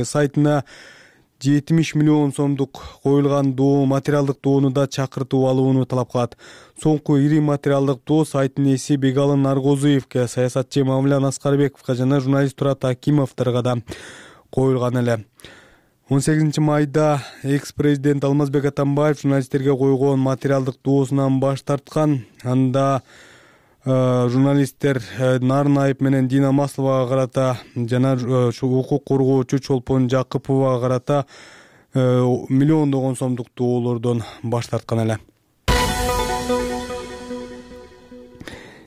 сайтына 70 миллион сомдук коюлган материалдык доону да чакыртып алууну талап кылат. Соңку ири материалдык доо сайттын ээси Бегалы Наргозуевке, саясатчы Мавлян Аскарбековго жана журналист Турат Акимовторго да коюлган эле. 18 майда экс-президент Алмазбек Атамбаев журналисттерге койгон материалдык доосунан баш тарткан. Анда журналисттер Нарынайып менен Дина Масловага карата жана укук коргоочу Чолпон Жакыповага карата миллиондогон сомдук доолордон баш тарткан эле.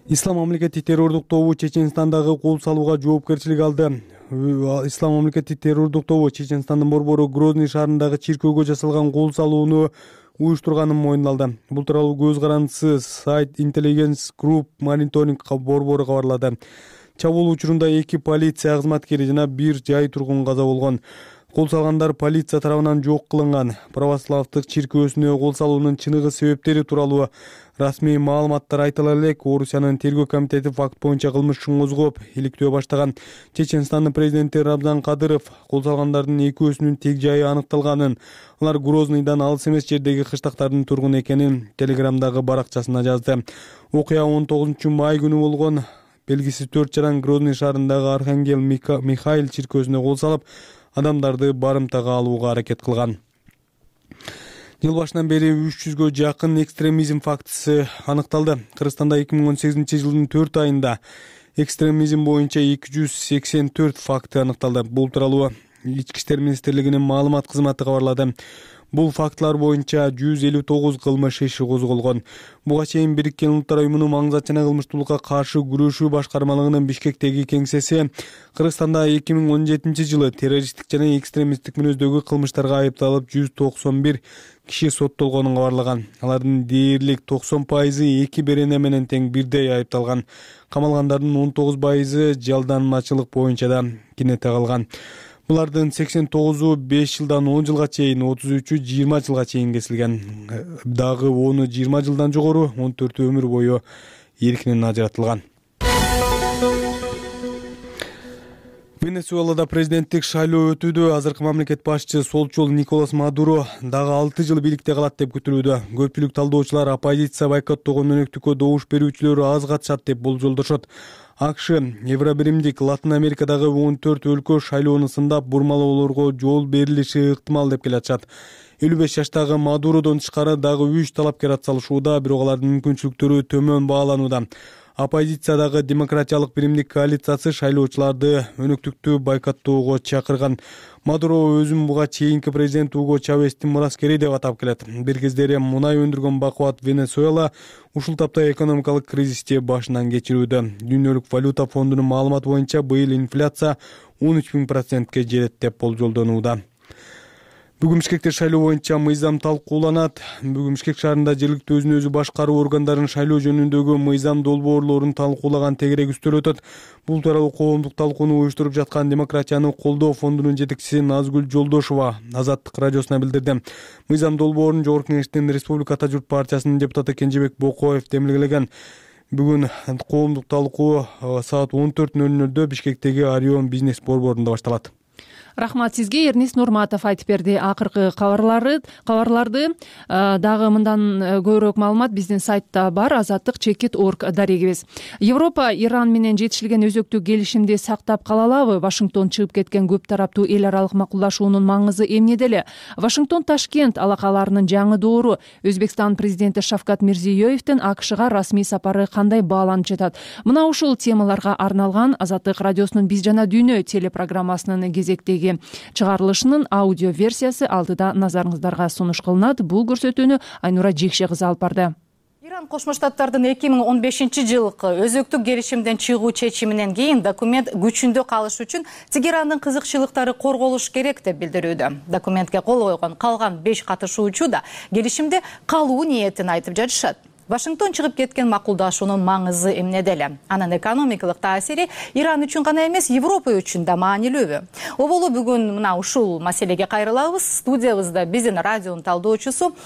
Ислам мамлекети террордук тобу Чеченстандагы кол салууга жоопкерчилик алды. Ислам мамлекети террордук тобу Чеченстандын борбору Грозный шаарындагы чиркөөгө жасалган кол салууну уюштурганын мойнуна алды. Бул тууралуу көз карандысы сайт Intelligence Group Monitoring борбору кабарлады. Чабуул учурунда 2 полиция кызматкери жана 1 жай тургун каза болгон. Кол салгандар полиция тарабынан жок кылынган. Православдык чиркөөсүнө кол салуунун чыныгы себептери тууралуу расмий маалыматтар айтыла элек. Орусиянын тергөө комитети факт боюнча кылмыш ишин козгоп, иликтөө баштаган. Чеченстандын президенти Рамзан Кадыров кол салгандардын экөөсүнүн тег жайы аныкталганын, алар Грозныйдан алыс эмес жердеги кыштактардын тургуну экенин Телеграмдагы баракчасына жазды. Окуя 19 май күнү болгон. Белгисиз 4 жаран Грозный шаарындагы Архангел Михаил чиркөөсүнө кол салып, адамдарды барымтага алууга аракет кылган. Жыл башынан бери 300гө жакын экстремизм фактысы аныкталды. Кыргызстанда 2018-жылдын 4 айында экстремизм боюнча 284 факты аныкталды. Бул тууралуу Ички иштер министрлигинин маалымат кызматы кабарлады. Бул фактылар боюнча 159 кылмыш иши козголгон. Буга чейин Бириккен Улуттар Уюмунун маңызат жана кылмыштуулукка каршы күрөшүү башкармалыгынын Бишкектеги кеңсеси Кыргызстанда 2017-жылы террористтик жана экстремисттик мүнөздөгү кылмыштарга айыпталып 191 киши соттолгонун кабарлаган. Алардын дээрлик 90% эки берене менен тең бирдей айыпталган. Камалгандардын 19% жалданмачылык боюнча да кинете калган. Булардын 89-у 5 жылдан 10 жылга чейин, 33-ü 20 жылга чейин кесилген. Дагы 10-у 20 жылдан жогору, 14-ü өмүр бою эркинен ажыратылган. Венесуэлада президенттик шайлоо өтүүдө. Азыркы мамлекет башчысы солчул Николас Мадуро дагы 6 жыл бийликте калат деп күтүлүүдө. Көпчүлүк талдоочулар оппозиция бойкоттогон өнөктүккө добуш берүүчүлөр аз катышат деп болжолдошот. АКШ Евробиримдик Латын Америкадагы 14 өлкө шайлоону сындап бурмалоолорго жол берилиши ыктымал деп келатышат. 55 жаштагы Мадуродон тышкары дагы 3 талапкер атсалышууда, бирок алардын мүмкүнчүлүктөрү төмөн бааланууда. Оппозициядагы демократиялык биримдик коалициясы шайлоочуларды өнөктүктү бойкоттоого чакырган. Мадуро өзүн буга чейинки президент Уго Чавестин мураскери деп атап келет. Бир кездери мунай өндүргөн бакубат Венесуэла ушул тапта экономикалык кризисти башынан кечирүүдө. Дүйнөлүк валюта фондунун маалыматы боюнча быйыл инфляция 13.000%ке жетет деп болжолдонууда. Бүгүн Бишкекте шайлоо боюнча мыйзам талкууланат. Бүгүн Бишкек шаарында жергиликтүү өзүн өзү башкаруу органдарынын шайлоо жөнүндөгү мыйзам долбоорлорун талкуулаган тегерек үстөл өтөт. Бул тууралуу коомдук талкууну уюштуруп жаткан Демократияны колдоо фондунун жетекчиси Назгүл Жолдошова Азаттык радиосуна билдирди. Мыйзам долбоорун Жогорку Кеңештин Республика Ата журт партиясынын депутаты Кенжебек Бокоев демилгелеген. Бүгүн коомдук талкуу саат 14:00 Бишкектеги Орион бизнес борборунда башталат. Рахмат сизге. Эрнис Нурматов айтып берди. Акыркы кабарларды дагы мындан көбүрөөк маалымат биздин сайтта бар. Азаттык.org дарегибиз. Европа Иран менен жетишилген өзөктүк келишимди сактап кала алабы? Вашингтон чыгып кеткен көп тараптуу эл аралык макулдашуунун маңызы эмнеде эле? Вашингтон Ташкент алакаларынын жаңы доору. Өзбекстан президенти Шавкат Мирзиёевдин АКШга расмий сапары кандай бааланып жатат? Мына ушул темаларга арналган Азаттык радиосунун Биз жана дүйнө телепрограммасынын кезектеги чыгарылышынын аудио версиясы алдыда назарыңыздарга сунуш кылынат. Бул көрсөтүүнү Айнура Жекше кызы алып барды. Иран Кошмо Штаттардын 2015-жылкы өзөктүк келишимден чыгуу чечиминен кийин документ күчүндө калыш үчүн Тегерандын кызыкчылыктары корголуш керек деп билдирүүдө. Документке кол койгон калган 5 катышуучу да келишимде калуу ниетин айтып жатышат. Вашингтон чыгып кеткен макулдашуунун маңызы эмнеде эле? Анын экономикалык таасири Иран үчүн гана эмес, Европа үчүн да маанилүүбү? Оболу бүгүн мына ушул маселеге кайрылабыз. Студиябызда биздин радионун талдоочусу,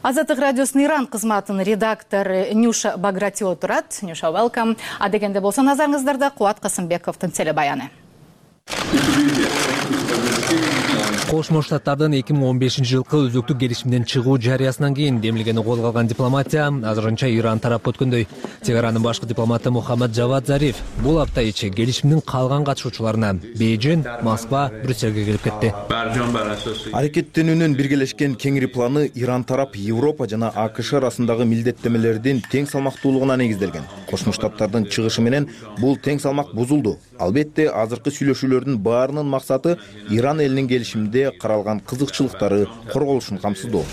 Азаттык радиосунун Иран кызматынын редактору Нюша Багратио турат. Нюша, welcome. А дегенде болсо назарыңыздарда Кубат Касымбековдун телебаяны. Кошмо Штаттардын 2015-жылкы өзөктүк келишимден чыгуу жарыясынан кийин демилгени колго алган дипломатия азырынча Иран тарапка өткөндөй. Тегаранын башкы дипломаты Мухаммад Жавад Зариф бул апта ичи келишимдин калган катышуучуларына Бейжин, Москва, Брюссельге келип кетти. Аракеттенүүнүн биргелешкен кеңири планы Иран тарап Европа жана АКШ арасындагы милдеттемелердин тең салмактуулугуна негизделген. Кошмо Штаттардын чыгышы менен бул тең салмак бузулду. Албетте, азыркы сүйлөшүүлөрдүн баарынын максаты Иран элинин келишимде каралган кызыкчылыктары корголушун камсыздоо.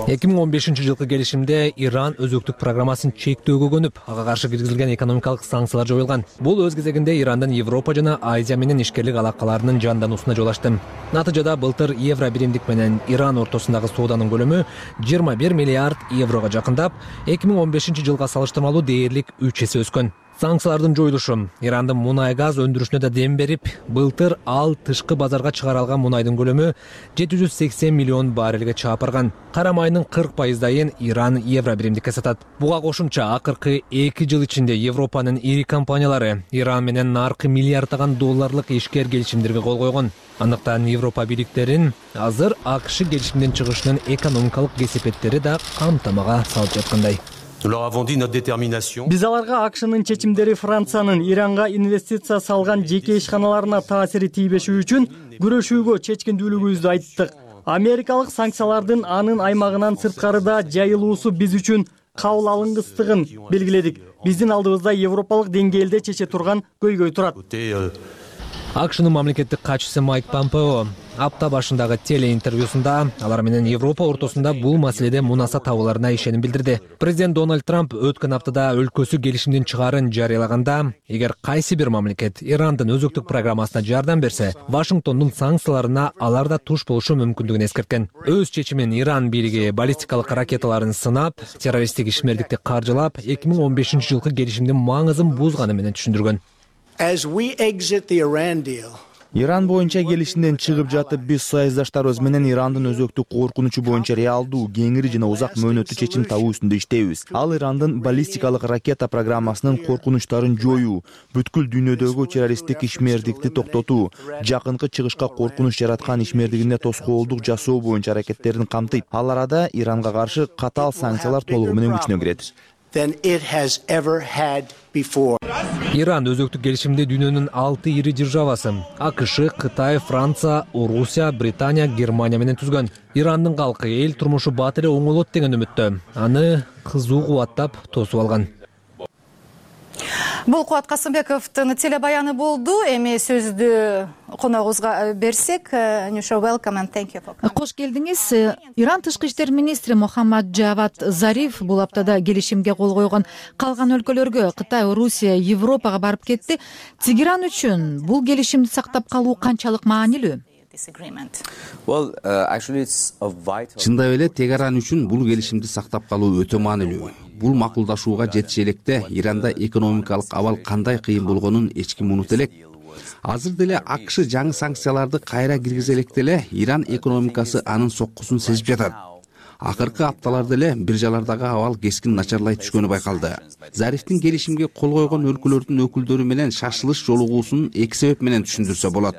2015-жылкы келишимде Иран өзөктүк программасын чектөөгө көнүп, ага каршы киргизилген экономикалык санкциялар жоюлган. Бул өз кезегинде Ирандын Европа жана Азия менен ишкерлик алакаларынын жандануусуна жол ачты. Натыйжада былтыр евро биримдик менен Иран ортосундагы сооданын көлөмү 21 миллиард еврого жакындап, 2015-жылга салыштырмалуу дээрлик 3 эсе өскөн. Санкциялардын жоюлушу Ирандын мунай газ өндүрүшүнө да дем берип, былтыр ал тышкы базарга чыгарылган мунайдын көлөмү 780 миллион баррелге чаап барган. Кара майынын 40%-ын Иран евро биримдикке сатат. Буга кошумча акыркы 2 жыл ичинде Европанын ири компаниялары Иран менен наркы миллиарддаган долларлык ишкер келишимдерге кол койгон. Андыктан Европа бийликтерин азыр АКШ келишимден чыгышынын экономикалык кесепеттери да камтамага салып жаткандай. Биз аларга АКШнын чечимдери Франциянын Иранга инвестиция салган жеке ишканаларына таасири тийбеши үчүн күрөшүүгө чечкиндүүлүгүбүздү айттык. Америкалык санкциялардын анын аймагынан сырткарыда жайылуусу биз үчүн кабыл алынгыстыгын белгиледик. Биздин алдыбызда европалык деңгээлде чече турган көйгөй турат. АКШнын мамлекеттик катчысы Майк Помпео апта башындагы телеинтервьюсунда алар менен Европа ортосунда бул маселеде мунаса табууларына ишеним билдирди. Президент Дональд Трамп өткөн аптада өлкөсү келишимдин чыгаарын жарыялаганда, эгер кайсы бир мамлекет Ирандын өзөктүк программасына жардам берсе, Вашингтондун санкцияларына алар да туш болушу мүмкүндүгүн эскерткен. Өз чечимин Иран бийлиги баллистикалык ракеталарын сынап, террористтик ишмердикти каржылап, 2015-жылкы келишимдин маңызын бузганы менен түшүндүргөн. Иран боюнча келишимден чыгып жатып, биз союздаштарыбыз менен Ирандын өзөктүк коркунучу боюнча реалдуу, кеңири жана узак мөөнөттүү чечим табуу үстүндө иштейбиз. Ал Ирандын баллистикалык ракета программасынын коркунучтарын жоюу, бүткүл дүйнөдөгү террористтик ишмердикти токтотуу, жакынкы чыгышка коркунуч жараткан ишмердигине тоскоолдук жасоо боюнча аракеттерин камтыйт. Ал арада Иранга каршы катаал санкциялар толугу менен күчүнө кирет. Иран өзөктүк келишимди дүйнөнүн 6 ири державасы АКШ, Кытай, Франция, Орусия, Британия, Германия менен түзгөн. Ирандын калкы эл турмушу бат эле оңолот деген үмүттө. Аны кызуу кубаттап тосуп алган. Бул Кубат Касымбековдун телебаяны болду. Эми сөздү коногубузга берсек, Нюша, welcome and thank you for coming. Кош келдиңиз. Иран тышкы иштер министри Мохаммад Джавад Зариф бул аптада келишимге кол койгон калган өлкөлөргө, Кытай, Орусия, Европага барып кетти. Тегеран үчүн бул келишимди сактап калуу канчалык маанилүү? Чындап эле Тегеран үчүн бул келишимди сактап калуу өтө маанилүү. Бул макулдашууга жетише электе Иранда экономикалык абал кандай кыйын болгонун эч ким унута элек. Азыр деле АКШ жаңы санкцияларды кайра киргизе электе эле Иран экономикасы анын соккусун сезип жатат. Акыркы апталарда эле биржалардагы абал кескин начарлай түшкөнү байкалды. Зарифтин келишимге кол койгон өлкөлөрдүн өкүлдөрү менен шашылыш жолугуусун эки себеп менен түшүндүрсө болот.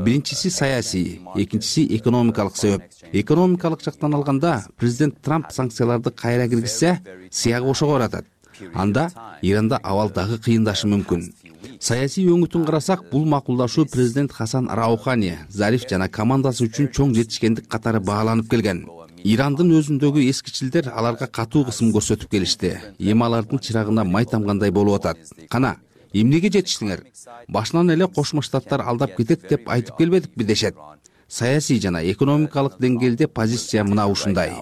Биринчиси саясий, экинчиси экономикалык себеп. Экономикалык жактан алганда, президент Трамп санкцияларды кайра киргизсе, сыягы ошого баратат. Анда Иранда абал дагы кыйындашы мүмкүн. Саясий өңүтүн карасак, бул макулдашуу президент Хасан Раухани, Зариф жана командасы үчүн чоң жетишкендик катары бааланып келген. Ирандын өзүндөгү эскичилдер аларга катуу кысым көрсөтүп келишти. Эми алардын чырагына май тамгандай болуп атат. Кана, эмнеге жетиштиңер? Башынан эле Кошмо Штаттар алдап кетет деп айтып келбедикпи дешет. Саясий жана экономикалык деңгээлде позиция мына ушундай.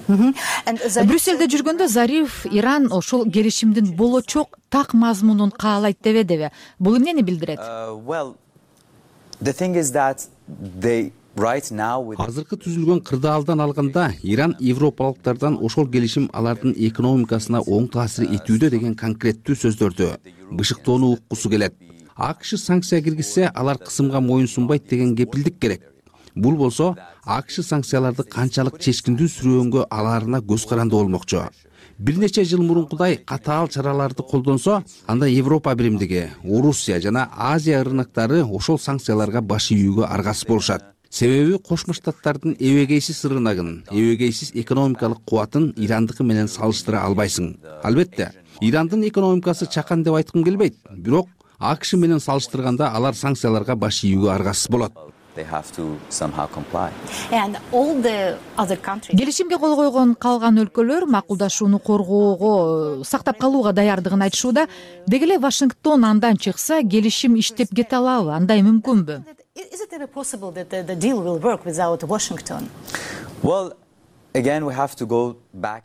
Брюсселде жүргөндө Зариф Иран ошол келишимдин болочок так мазмунун каалайт дебедиби? Бул эмнени билдирет? Азыркы түзүлгөн кырдаалдан алганда, Иран европалыктардан ошол келишим алардын экономикасына оң таасир этүүдө деген конкреттүү сөздөрдү бышыктоону уккусу келет. АКШ санкция киргизсе, алар кысымга моюнсунбайт деген кепилдик керек. Бул болсо, АКШ санкцияларды канчалык чечкиндүү сүрөөнгө алаарына көз каранды болмокчу. Бир нече жыл мурункудай катаал чараларды колдонсо, анда Европа биримдиги, Орусия жана Азия рыноктары ошол санкцияларга баш ийүүгө аргасыз болушат. Себеби Кошмо Штаттардын эбегейсиз рыногун, эбегейсиз экономикалык кубатын Ирандыкы менен салыштыра албайсың. Албетте, Ирандын экономикасы чакан деп айткым келбейт, бирок АКШ менен салыштырганда алар санкцияларга баш ийүүгө аргасыз болот. Келишимге кол койгон калган өлкөлөр макулдашууну коргоого, сактап калууга даярдыгын айтышууда. Деги эле Вашингтон андан чыкса, келишим иштеп кете алабы? Андай мүмкүнбү?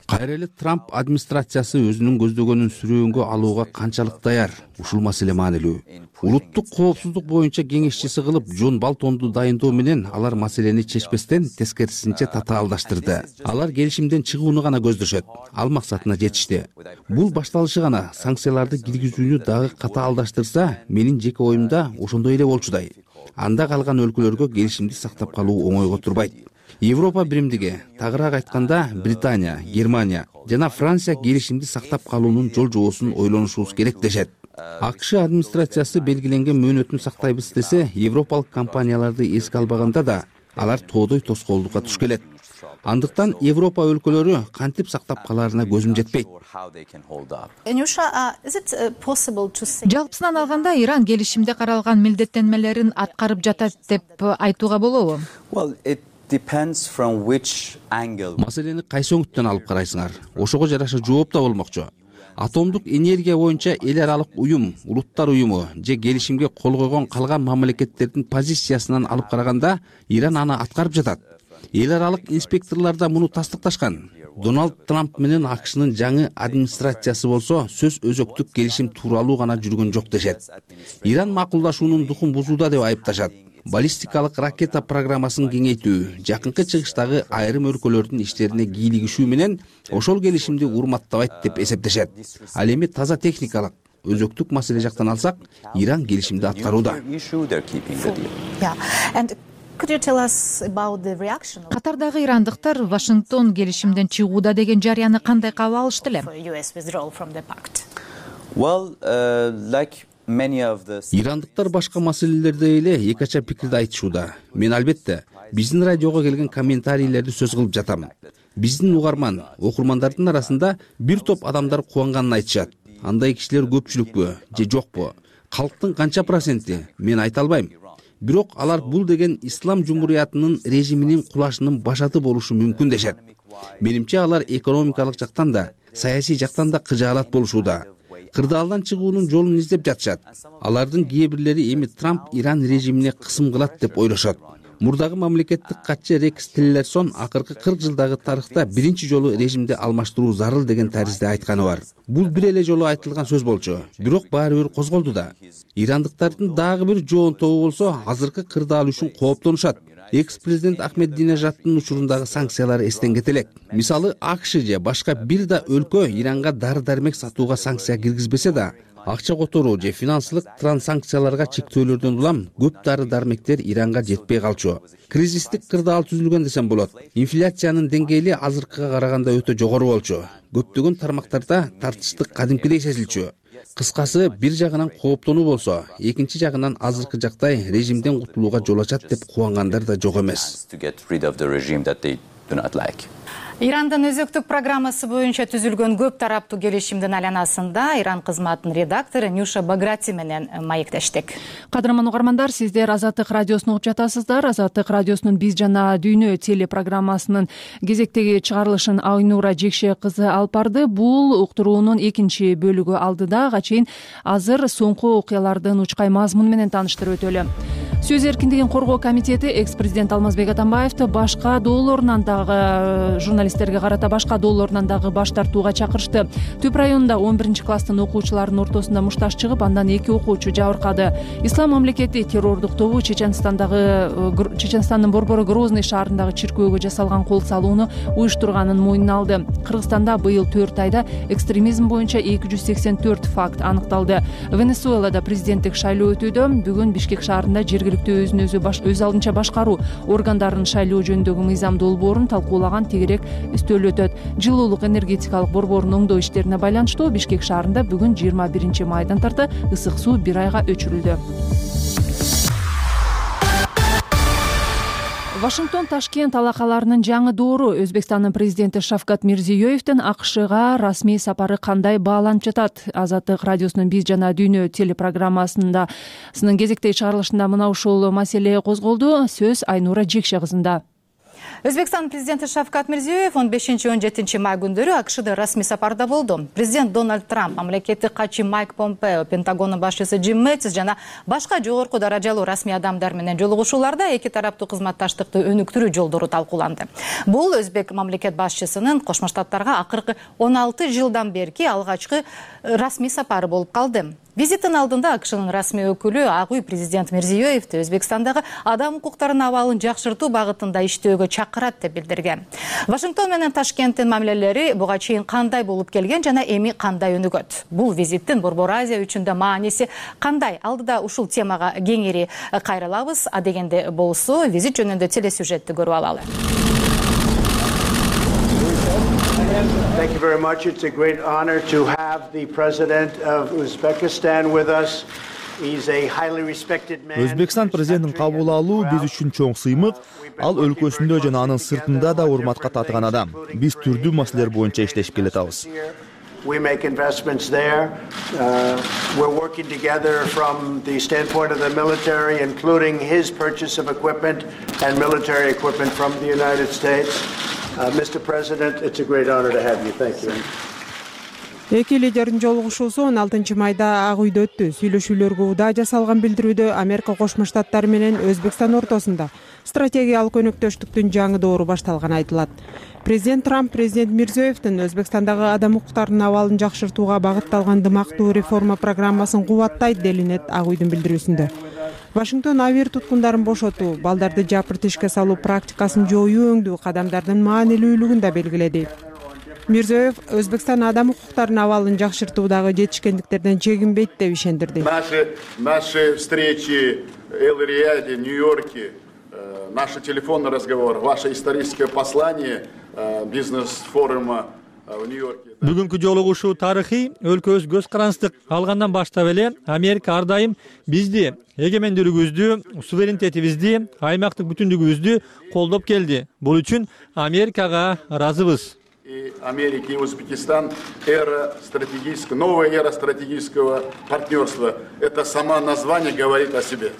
Кайра эле Трамп администрациясы өзүнүн көздөгөнүн сүрөөнгө алууга канчалык даяр? Ушул маселе маанилүү. Улуттук коопсуздук боюнча кеңешчиси кылып Джон Болтонду дайындоо менен алар маселени чечпестен тескерисинче татаалдаштырды. Алар келишимден чыгууну гана көздөшөт. Ал максатына жетишти. Бул башталышы гана. Санкцияларды киргизүүнү дагы катаалдаштырса, менин жеке оюмда ошондой эле болчудай. Анда калган өлкөлөргө келишимди сактап калуу оңойго турбайт. Европа биримдиги, тагыраак айтканда Британия, Германия жана Франция келишимди сактап калуунун жол жоосун ойлонушубуз керек дешет. АКШ администрациясы белгиленген мөөнөтүн сактайбыз десе, европалык компанияларды эске албаганда да алар тоодой тоскоолдукка туш келет. Андыктан Европа өлкөлөрү кантип сактап калаарына көзүм жетпейт. Жалпысынан алганда Иран келишимде каралган милдеттенмелерин аткарып жатат деп айтууга болобу? Маселени кайсы өңүттөн алып карайсыңар? Ошого жараша жооп да болмокчу. Атомдук энергия боюнча эл аралык уюм, улуттар уюму же келишимге кол койгон калган мамлекеттердин позициясынан алып караганда Иран аны аткарып жатат. Эл аралык инспекторлор да муну тастыкташкан. Дональд Трамп менен АКШнын жаңы администрациясы болсо сөз өзөктүк келишим тууралуу гана жүргөн жок дешет. Иран макулдашуунун духун бузууда деп айыпташат. Баллистикалык ракета программасын кеңейтүү, жакынкы чыгыштагы айрым өлкөлөрдүн иштерине кийлигишүү менен ошол келишимди урматтабайт деп эсептешет. Ал эми таза техникалык, өзөктүк маселе жактан алсак, Иран келишимди аткарууда. Катардагы ирандыктар Вашингтон келишимден чыгууда деген жарыяны кандай кабыл алышты эле? Ирандыктар башка маселелерде эле эки ача пикирди айтышууда. Мен албетте биздин радиого келген комментарийлерди сөз кылып жатам. Биздин угарман, окурмандардын арасында бир топ адамдар кубанганын айтышат. Андай кишилер көпчүлүкпү же жокпу? Калктын канча проценти? Мен айта албайм. Бирок алар бул деген ислам жумуриятынын режиминин кулашынын башаты болушу мүмкүн дешет. Менимче алар экономикалык жактан да, саясий жактан да кыжаалат болушууда. Кырдаалдан чыгуунун жолун издеп жатышат. Алардын кээ бирлери эми Трамп Иран режимине кысым кылат деп ойлошот. Мурдагы мамлекеттик катчы Рекс Тиллерсон акыркы 40 жылдагы тарыхта биринчи жолу режимди алмаштыруу зарыл деген таризде айтканы бар. Бул бир эле жолу айтылган сөз болчу, бирок баары бир козголду да. Ирандыктардын дагы бир жоон тобу болсо азыркы кырдаал үчүн кооптонушат. Экс-президент Ахмединежадтын учурундагы санкциялар эстен кетелек. Мисалы, АКШ же башка бир да өлкө Иранга дары-дармек сатууга санкция киргизбесе да, акча которуу же финансылык транзакцияларга чектөөлөрдөн улам көп дары-дармектер Иранга жетпей калчу. Кризистик кырдаал түзүлгөн десем болот. Инфляциянын деңгээли азыркыга караганда өтө жогору болчу. Көптөгөн тармактарда тартыштык кадимкидей сезилчү. Кыскасы, бир жагынан кооптонуу болсо, экинчи жагынан азыркы жактай режимден кутулууга жол ачат деп кубангандар да жок эмес. Ирандын өзөктүк программасы боюнча түзүлгөн көп тараптуу келишимдин айланасында Иран кызматынын редактору Нюша Баграти менен маектештик. Кадырман угармандар, сиздер Азаттык радиосун угуп жатасыздар. Азаттык радиосунун Биз жана дүйнө телепрограммасынын кезектеги чыгарылышын Айнура Жекше кызы алып барды. Бул уктуруунун экинчи бөлүгү алдыда. Ага чейин азыр соңку окуялардын учкай мазмуну менен тааныштырып өтөлү. Сөз эркиндигин коргоо комитети экс-президент Алмазбек Атамбаевди башка доолорунан дагы журналисттерге карата башка доолорунан дагы баш тартууга чакырышты. Түп районунда 11-класстын окуучуларынын ортосунда мушташ чыгып, андан 2 окуучу жабыркады. Ислам мамлекети террордук тобу Чеченстандын борбору Грозный шаарындагы чиркөөгө жасалган кол салууну уюштурганын мойнуна алды. Кыргызстанда быйыл 4 айда экстремизм боюнча 284 факт аныкталды. Венесуэлада президенттик шайлоо өтүүдө. Бүгүн Бишкек шаарында жергиликтүү өз алдынча башкаруу органдарынын шайлоо жөнүндөгү мыйзам долбоорун талкуулаган тегерек үстөлү өтөт. Жылуулук энергетикалык борборунун оңдоо иштерине байланыштуу Бишкек шаарында бүгүн 21 майдан тарты ысык суу 1 айга өчүрүлдү. Вашингтон Ташкент алакаларынын жаңы доору. Өзбекстандын президенти Шавкат Мирзиёевдин АКШга расмий сапары кандай бааланып жатат? Азаттык радиосунун Биз жана дүйнө телепрограммасынын кезектеги чыгарылышында мына ушул маселе козголду. Сөз Айнура Жекше кызында. Өзбекстан президенти Шавкат Мирзиёев 15-17 май күндөрү АКШда расмий сапарда болду. Президент Дональд Трамп, мамлекеттик катчы Майк Помпео, Пентагондун башчысы Джим Мэттис жана башка жогорку даражалуу расмий адамдар менен жолугушууларда эки тараптуу кызматташтыкты өнүктүрүү жолдору талкууланды. Бул өзбек мамлекет башчысынын Кошмо Штаттарга акыркы 16 жылдан берки алгачкы расмий сапары болуп калды. Визиттин алдында АКШнын расмий өкүлү Ак үй президент Мирзиёевди Өзбекстандагы адам укуктарынын абалын жакшыртуу багытында иштөөгө чакырат деп билдирген. Вашингтон менен Ташкенттин мамилелери буга чейин кандай болуп келген жана эми кандай өнүгөт? Бул визиттин Борбор Азия үчүн да мааниси кандай? Алдыда ушул темага кеңири кайрылабыз. А дегенде болсо, визит жөнүндө телесюжетти көрүп алалы. Thank you very much. It's a great honor to have the President of Uzbekistan with us. Өзбекстан президентин кабыл алуу биз үчүн чоң сыймык. Ал өлкөсүндө жана анын сыртында да урматка татыган адам. Биз түрдүү маселелер боюнча иштешип келатабыз. We make investments there. We're working together from the standpoint of the military, including his purchase of equipment and military equipment from the United States. Mr. President, it's a great honor to have you. Thank you. Эки лидердин жолугушуусу 16 майда Ак үйдө өттү. Сүйлөшүүлөргө удаа жасалган билдирүүдө Америка Кошмо Штаттары менен Өзбекстан ортосунда стратегиялык өнөктөштүктүн жаңы доору башталганы айтылат. Президент Трамп президент Мирзиёевдин Өзбекстандагы адам укуктарынын абалын жакшыртууга багытталган дымактуу реформа программасын кубаттайт делинет Ак үйдүн билдирүүсүндө. Вашингтон авир туткундарын бошотуу, балдарды жапырт ишке салуу практикасын жоюу өңдүү кадамдардын маанилүүлүгүн да белгиледи. Мирзиёев Өзбекстан адам укуктарынын абалын жакшыртуудагы жетишкендиктерден чегинбейт деп ишендирди. Наши встречи в Эл-Рияде, Нью-Йорке, наши телефонный разговор, ваше историческое послание бизнес-форума в Нью-Йорке. Бүгүнкү жолугушуу тарыхый, өлкөбүз көз карандык алгандан баштап эле Америка ар дайым бизди, эгемендүүлүгүбүздү, суверенитетибизди, аймактык бүтүндүгүбүздү колдоп келди. Бул үчүн Америкага ыраазыбыз. И Америка и Узбекистан новая эра стратегического партнерства. Это само название говорит о себе.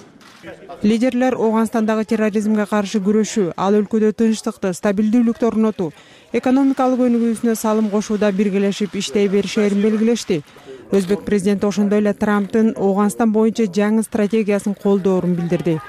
Лидерлер Ооганстандагы терроризмге каршы күрөшүү, ал өлкөдө тынчтыкты, стабилдүүлүктү орнотуу, экономикалык өнүгүүсүнө салым кошууда биргелешип иштей беришерин белгилешти. Өзбек президенти ошондой эле Трамптын Ооганстан боюнча жаңы стратегиясын колдоорун билдирди.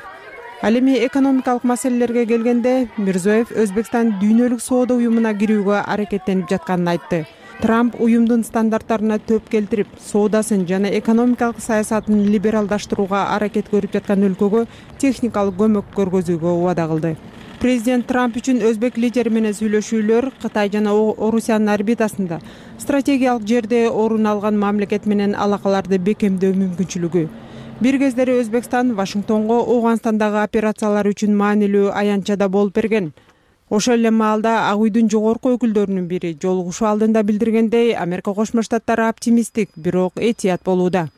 Ал эми экономикалык маселелерге келгенде Мирзиёев Өзбекстан дүйнөлүк соода уюмуна кирүүгө аракеттенип жатканын айтты. Трамп уюмдун стандарттарына төп келтирип, соодасын жана экономикалык саясатын либералдаштырууга аракет көрүп жаткан өлкөгө техникалык көмөк көргөзүүгө убада кылды. Президент Трамп үчүн өзбек лидери менен сүйлөшүүлөр Кытай жана Орусиянын орбитасында стратегиялык жерде орун алган мамлекет менен алакаларды бекемдөө мүмкүнчүлүгү. Бир кездери Өзбекстан Вашингтонго Ооганстандагы операциялар үчүн маанилүү аянтчада болуп берген. Ошол эле маалда Ак үйдүн жогорку өкүлдөрүнүн бири жолугушуу алдында билдиргендей, Америка Кошмо Штаттары оптимисттик, бирок этият болууда.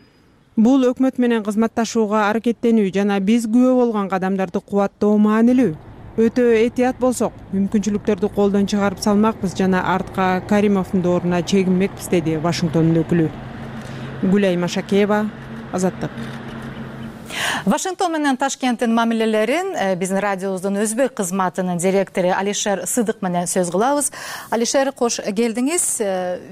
Бул өкмөт менен кызматташууга аракеттенүү жана биз күбө болгон кадамдарды кубаттоо маанилүү. Өтө этият болсок, мүмкүнчүлүктөрдү колдон чыгарып салмакпыз жана артка Каримовдун дооруна чегинмекпиз, деди Вашингтондун өкүлү. Гүлай Машакеева, Азаттык. Вашингтон менен Ташкенттин мамилелерин биздин радиобуздун өзбек кызматынын директору Алишер Сыдык менен сөз кылабыз. Алишер, кош келдиңиз.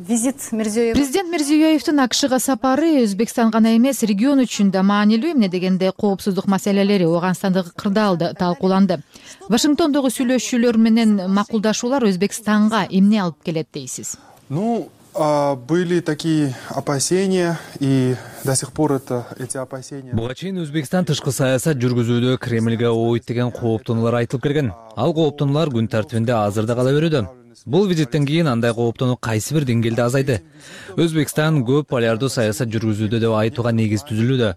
Визит Мирзиёев. Президент Мирзиёевдин АКШга сапары Өзбекстан гана эмес, регион үчүн да маанилүү. Эмне дегенде коопсуздук маселелери, Ооганстандагы кырдаалды талкууланды. Вашингтондогу сүйлөшүүлөр менен макулдашуулар Өзбекстанга эмне алып келет дейсиз? Были такие опасения, и до сих пор эти опасения. Буга чейин Өзбекстан тышкы саясат жүргүзүүдө Кремльге ойт деген кооптонуулар айтылып келген. Ал кооптонуулар күн тартибинде азыр да кала берүүдө. Бул визиттен кийин андай кооптонуу кайсы бир деңгээлде азайды. Өзбекстан көп полярдуу саясат жүргүзүүдө деп айтууга негиз түзүлүүдө.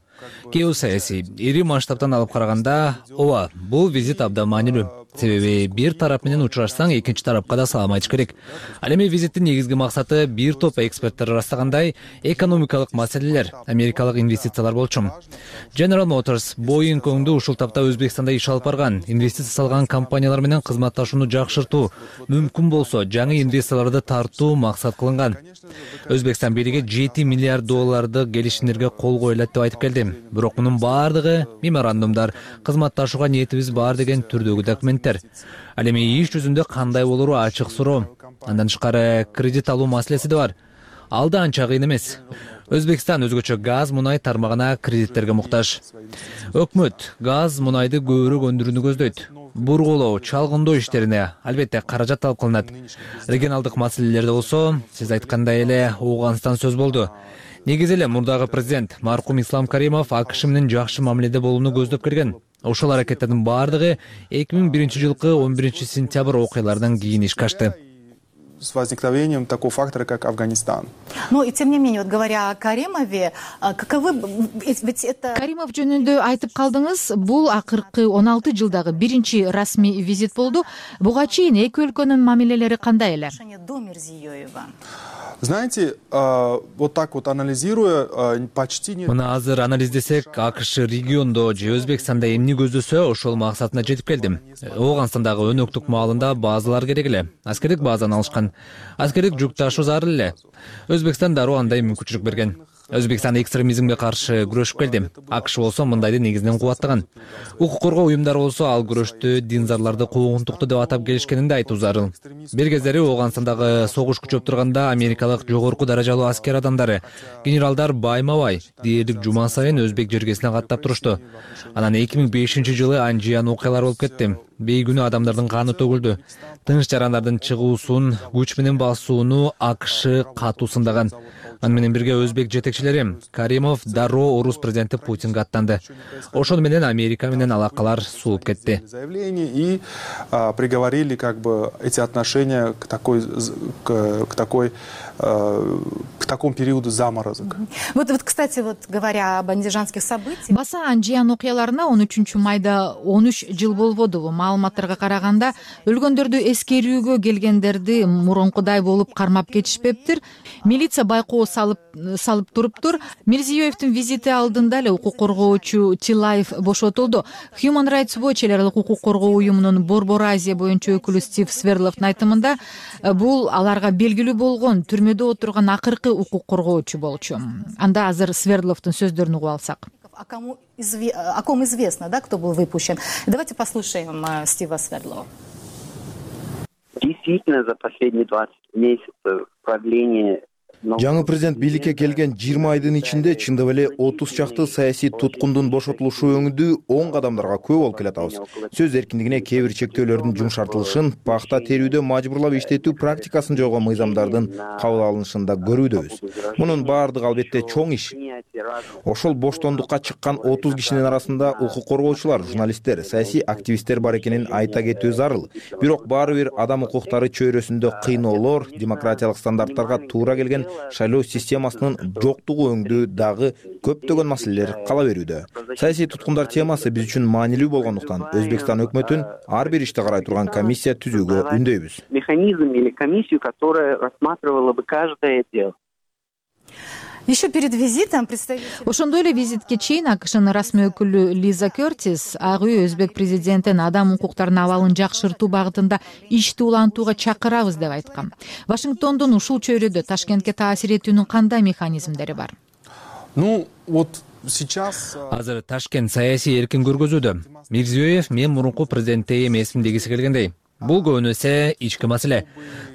Геосаясий, ири масштабтан алып караганда, ооба, бул визит абдан маанилүү. Себеби бир тарап менен учурашсаң, экинчи тарапка да салам айтыш керек. Ал эми визиттин негизги максаты бир топ эксперттер ырастагандай экономикалык маселелер, америкалык инвестициялар болчу. General Motors, Boeing өңдүү ушул тапта Өзбекстанда иш алып барган, инвестиция салган компаниялар менен кызматташууну жакшыртуу, мүмкүн болсо жаңы инвесторлорду тартуу максат кылынган. Өзбекстан бийлиги $7 миллиард келишимдерге кол коюлат деп айтып келди. Бирок мунун баардыгы меморандумдар, кызматташууга ниетибиз бар деген түрдөгү документтер. Ал эми иш жүзүндө кандай болору ачык суроо. Андан тышкары кредит алуу маселеси да бар. Ал да анча кыйын эмес. Өзбекстан өзгөчө газ, мунай тармагына кредиттерге муктаж. Өкмөт газ, мунайды көбүрөөк өндүрүүнү көздөйт. Бургулоо, чалгындоо иштерине албетте каражат талап кылынат. Регионалдык маселелерде болсо, сиз айткандай эле Ооганстан сөз болду. Негизи эле мурдагы президент маркум Ислам Каримов АКШ менен жакшы мамиледе болууну көздөп келген. Ошол аракеттердин баардыгы 2001-жылкы 11-сентябрь окуяларынан кийин ишке ашты. С возникновением такого фактора, как Афганистан. Ну и тем не менее, вот говоря о Каримове, каковы ведь это... Каримов жөнүндө айтып калдыңыз, бул акыркы 16 жылдагы биринчи расмий визит болду. Буга чейин эки өлкөнүн мамилелери кандай эле? До Мирзиёева. Знаете, вот так вот анализируя, почти нет. Мына азыр анализдесек, АКШ региондо же Өзбекстанда эмне көздөсө, ошол максатына жетип келдим. Ооганстандагы өнөктүк маалында базалар керек эле. Аскердик базаны алышкан. Аскердик жүк ташуу зарыл эле. Өзбекстан дароо андай мүмкүнчүлүк берген. Өзбекстан экстремизмге каршы күрөшүп келди. АКШ болсо мындайды негизинен кубаттаган. Укук коргоо уюмдары болсо ал күрөштү динзарларды куугунтуктуу деп атап келишкенин да айтуу зарыл. Бир кездери Ооганстандагы согуш күчөп турганда америкалык жогорку даражалуу аскер адамдары, генералдар байма-бай дээрлик жума сайын өзбек жергесине каттап турушту. Анан 2005-жылы анжыян окуялар болуп кетти. Бейгүнүү адамдардын каны төгүлдү. Тынч жарандардын чыгуусун, күч менен басууну АКШ катуу сындаган. Аны менен бирге өзбек жетекчилери Каримов дароо орус президенти Путинге аттанды. Ошону менен Америка менен алакалар сууп кетти. И приговорили как бы эти отношения к такому периоду заморозок. Вот, кстати, говоря об андижанских событиях. Баса анжыян окуяларына 13-майда 13 жыл болбодубу? Маалыматтарга караганда өлгөндөрдү эскерүүгө келгендерди мурункудай болуп кармап кетишпептир. Милиция байкоо салып туруптур. Мирзиёевдин визити алдында эле укук коргоочу Тилаев бошотулду. Human Rights Watch эл аралык укук коргоо уюмунун Борбор Азия боюнча өкүлү Стив Сверловдун айтымында бул аларга белгилүү болгон түрмөдө отурган акыркы укук коргоочу болчу. Анда азыр Сверловдун сөздөрүн угуп алсак. О ком известно, да, кто был выпущен. Давайте послушаем Стива Сверлова. Действительно, за последние 20 месяцев правления Жаңы президент бийликке келген 20 айдын ичинде чындап эле 30 чакты саясий туткундун бошотулушу өңүндүү 10 кадамдарга күбө болуп келатабыз. Сөз эркиндигине кээ бир чектөөлөрдүн жумшартылышын, пахта терүүдө мажбурлап иштетүү практикасын жойгон мыйзамдардын кабыл алынышын да көрүүдөбүз. Мунун баардыгы албетте чоң иш. Ошол боштондукка чыккан 30 кишинин арасында укук коргоочулар, журналисттер, саясий активисттер бар экенин айта кетүү зарыл. Бирок баары бир адам укуктары чөйрөсүндө кыйноолор, демократиялык стандарттарга туура келген шайлоо системасынын жоктугу өңдүү дагы көптөгөн маселелер кала берүүдө. Саясий туткундар темасы биз үчүн маанилүү болгондуктан Өзбекстан өкмөтүн ар бир ишти карай турган комиссия түзүүгө үндөйбүз. Механизм или комиссию, которая рассматривала бы каждое дело. Еще перед визитом Ошондой эле визитке чейин АКШнын расмий өкүлү Лиза Кертис ак үй өзбек президентин адам укуктарынын абалын жакшыртуу багытында ишти улантууга чакырабыз деп айткан. Вашингтондун ушул чөйрөдө Ташкентке таасир этүүнүн кандай механизмдери бар? Азыр Ташкент саясий эркин көргөзүүдө. Мирзиёев мен мурунку президентте эмесмин дегиси келгендей. Бул көбүнөсө ички маселе.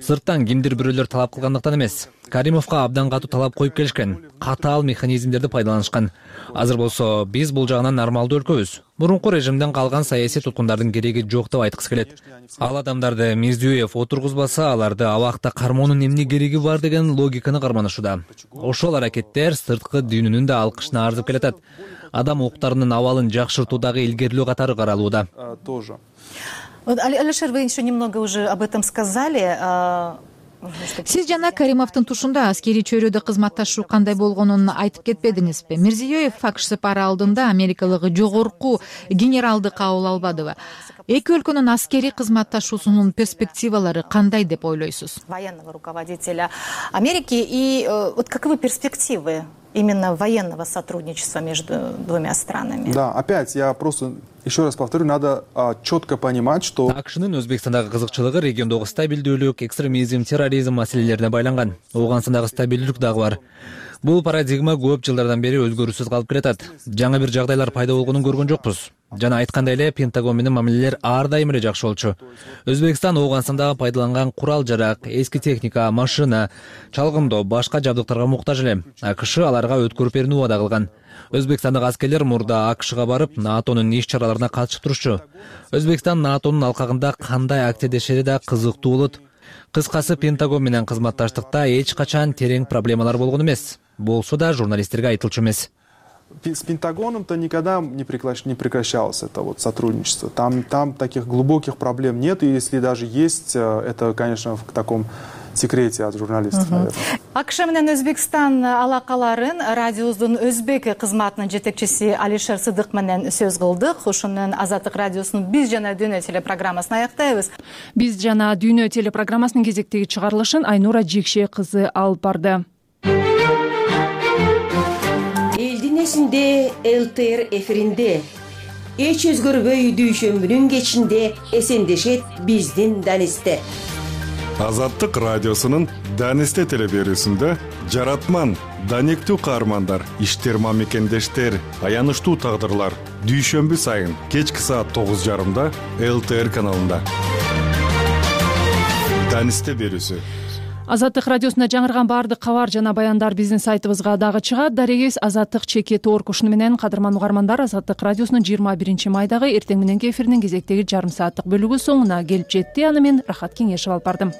Сырттан кимдир бирөөлөр талап кылгандыктан эмес. Каримовго абдан катуу талап коюп келишкен. Катаал механизмдерди пайдаланышкан. Азыр болсо биз бул жагынан нормалдуу өлкөбүз. Мурунку режимден калган саясий туткундардын кереги жок деп айткысы келет. Ал адамдарды Мирзиёев отургузбаса, аларды абакта кармоонун эмне кереги бар деген логиканы карманышууда. Ошол аракеттер сырткы дүйнөнүн да алкышына арзып келатат. Адам укуктарынын абалын жакшыртуудагы илгерилөө катары каралууда. Алишер, вы еще немного уже об этом сказали. Сиз жана Каримовдун тушунда аскерий чөйрөдө кызматташуу кандай болгонун айтып кетпедиңизби? Мирзиёев АКШ сапары алдында америкалык жогорку генералды кабыл албадыбы? Эки өлкөнүн аскерий кызматташуусунун перспективалары кандай деп ойлойсуз? Военного руководителя Америки и вот каковы перспективы именно военного сотрудничества между двумя странами? Да, опять я просто еще раз повторю, надо четко понимать, что АКШнын Өзбекстандагы кызыкчылыгы региондогу стабилдүүлүк, экстремизм, терроризм маселелерине байланган. Ооганстандагы стабилдүүлүк дагы бар. Бул парадигма көп жылдардан бери өзгөрүүсүз калып келатат. Жаңы бир жагдайлар пайда болгонун көргөн жокпуз. Жана айткандай эле Пентагон менен мамилелер ар дайым эле жакшы болчу. Өзбекстан Ооганстанда пайдаланган курал-жарак, эски техника, машина, чалгындоо, башка жабдыктарга муктаж эле. АКШ аларга өткөрүп берүүнү убада кылган. Өзбекстандык аскерлер мурда АКШга барып, НАТОнун иш-чараларына катышып турушчу. Өзбекстан НАТОнун алкагында кандай активдешери да кызыктуу болот. Кыскасы, Пентагон менен кызматташтыкта эч качан терең проблемалар болгон эмес. Болсо да журналисттерге айтылчу эмес. С Пентагоном-то никогда не прекращалось это вот сотрудничество. Там таких глубоких проблем нет, и если даже есть, это, конечно, в таком секрете от журналистов, наверное. АКШ менен Өзбекстан алакаларын радиобуздун өзбек кызматынын жетекчиси Алишер Сыдык менен сөз кылдык. Ушунун Азаттык радиосунун Биз жана дүйнө телепрограммасын аяктайбыз. Биз жана дүйнө телепрограммасынын кезектеги чыгарылышын Айнура Жекше кызы алып барды. Элдин эсинде ЛТР эфиринде эч өзгөрбөй дүйшөмбүнүн кечинде эсендешет биздин Данисте. Азаттык радиосунун Данисте телеберүүсүндө жаратман, даниктүү каармандар, иштерма мекендештер, аянычтуу тагдырлар дүйшөмбү сайын кечки саат 9:30 ЛТР каналында. Данисте берүүсү. Азаттык радиосунда жаңырган баардык кабар жана баяндар биздин сайтыбызга дагы чыгат. Дарегиз Азаттык /org. Ушуну менен кадырман угармандар, Азаттык радиосунун 21 майдагы эртең мененки эфиринин кезектеги жарым сааттык бөлүгү соңуна келип жетти. Аны мен Рахат Кеңешев алып бардым.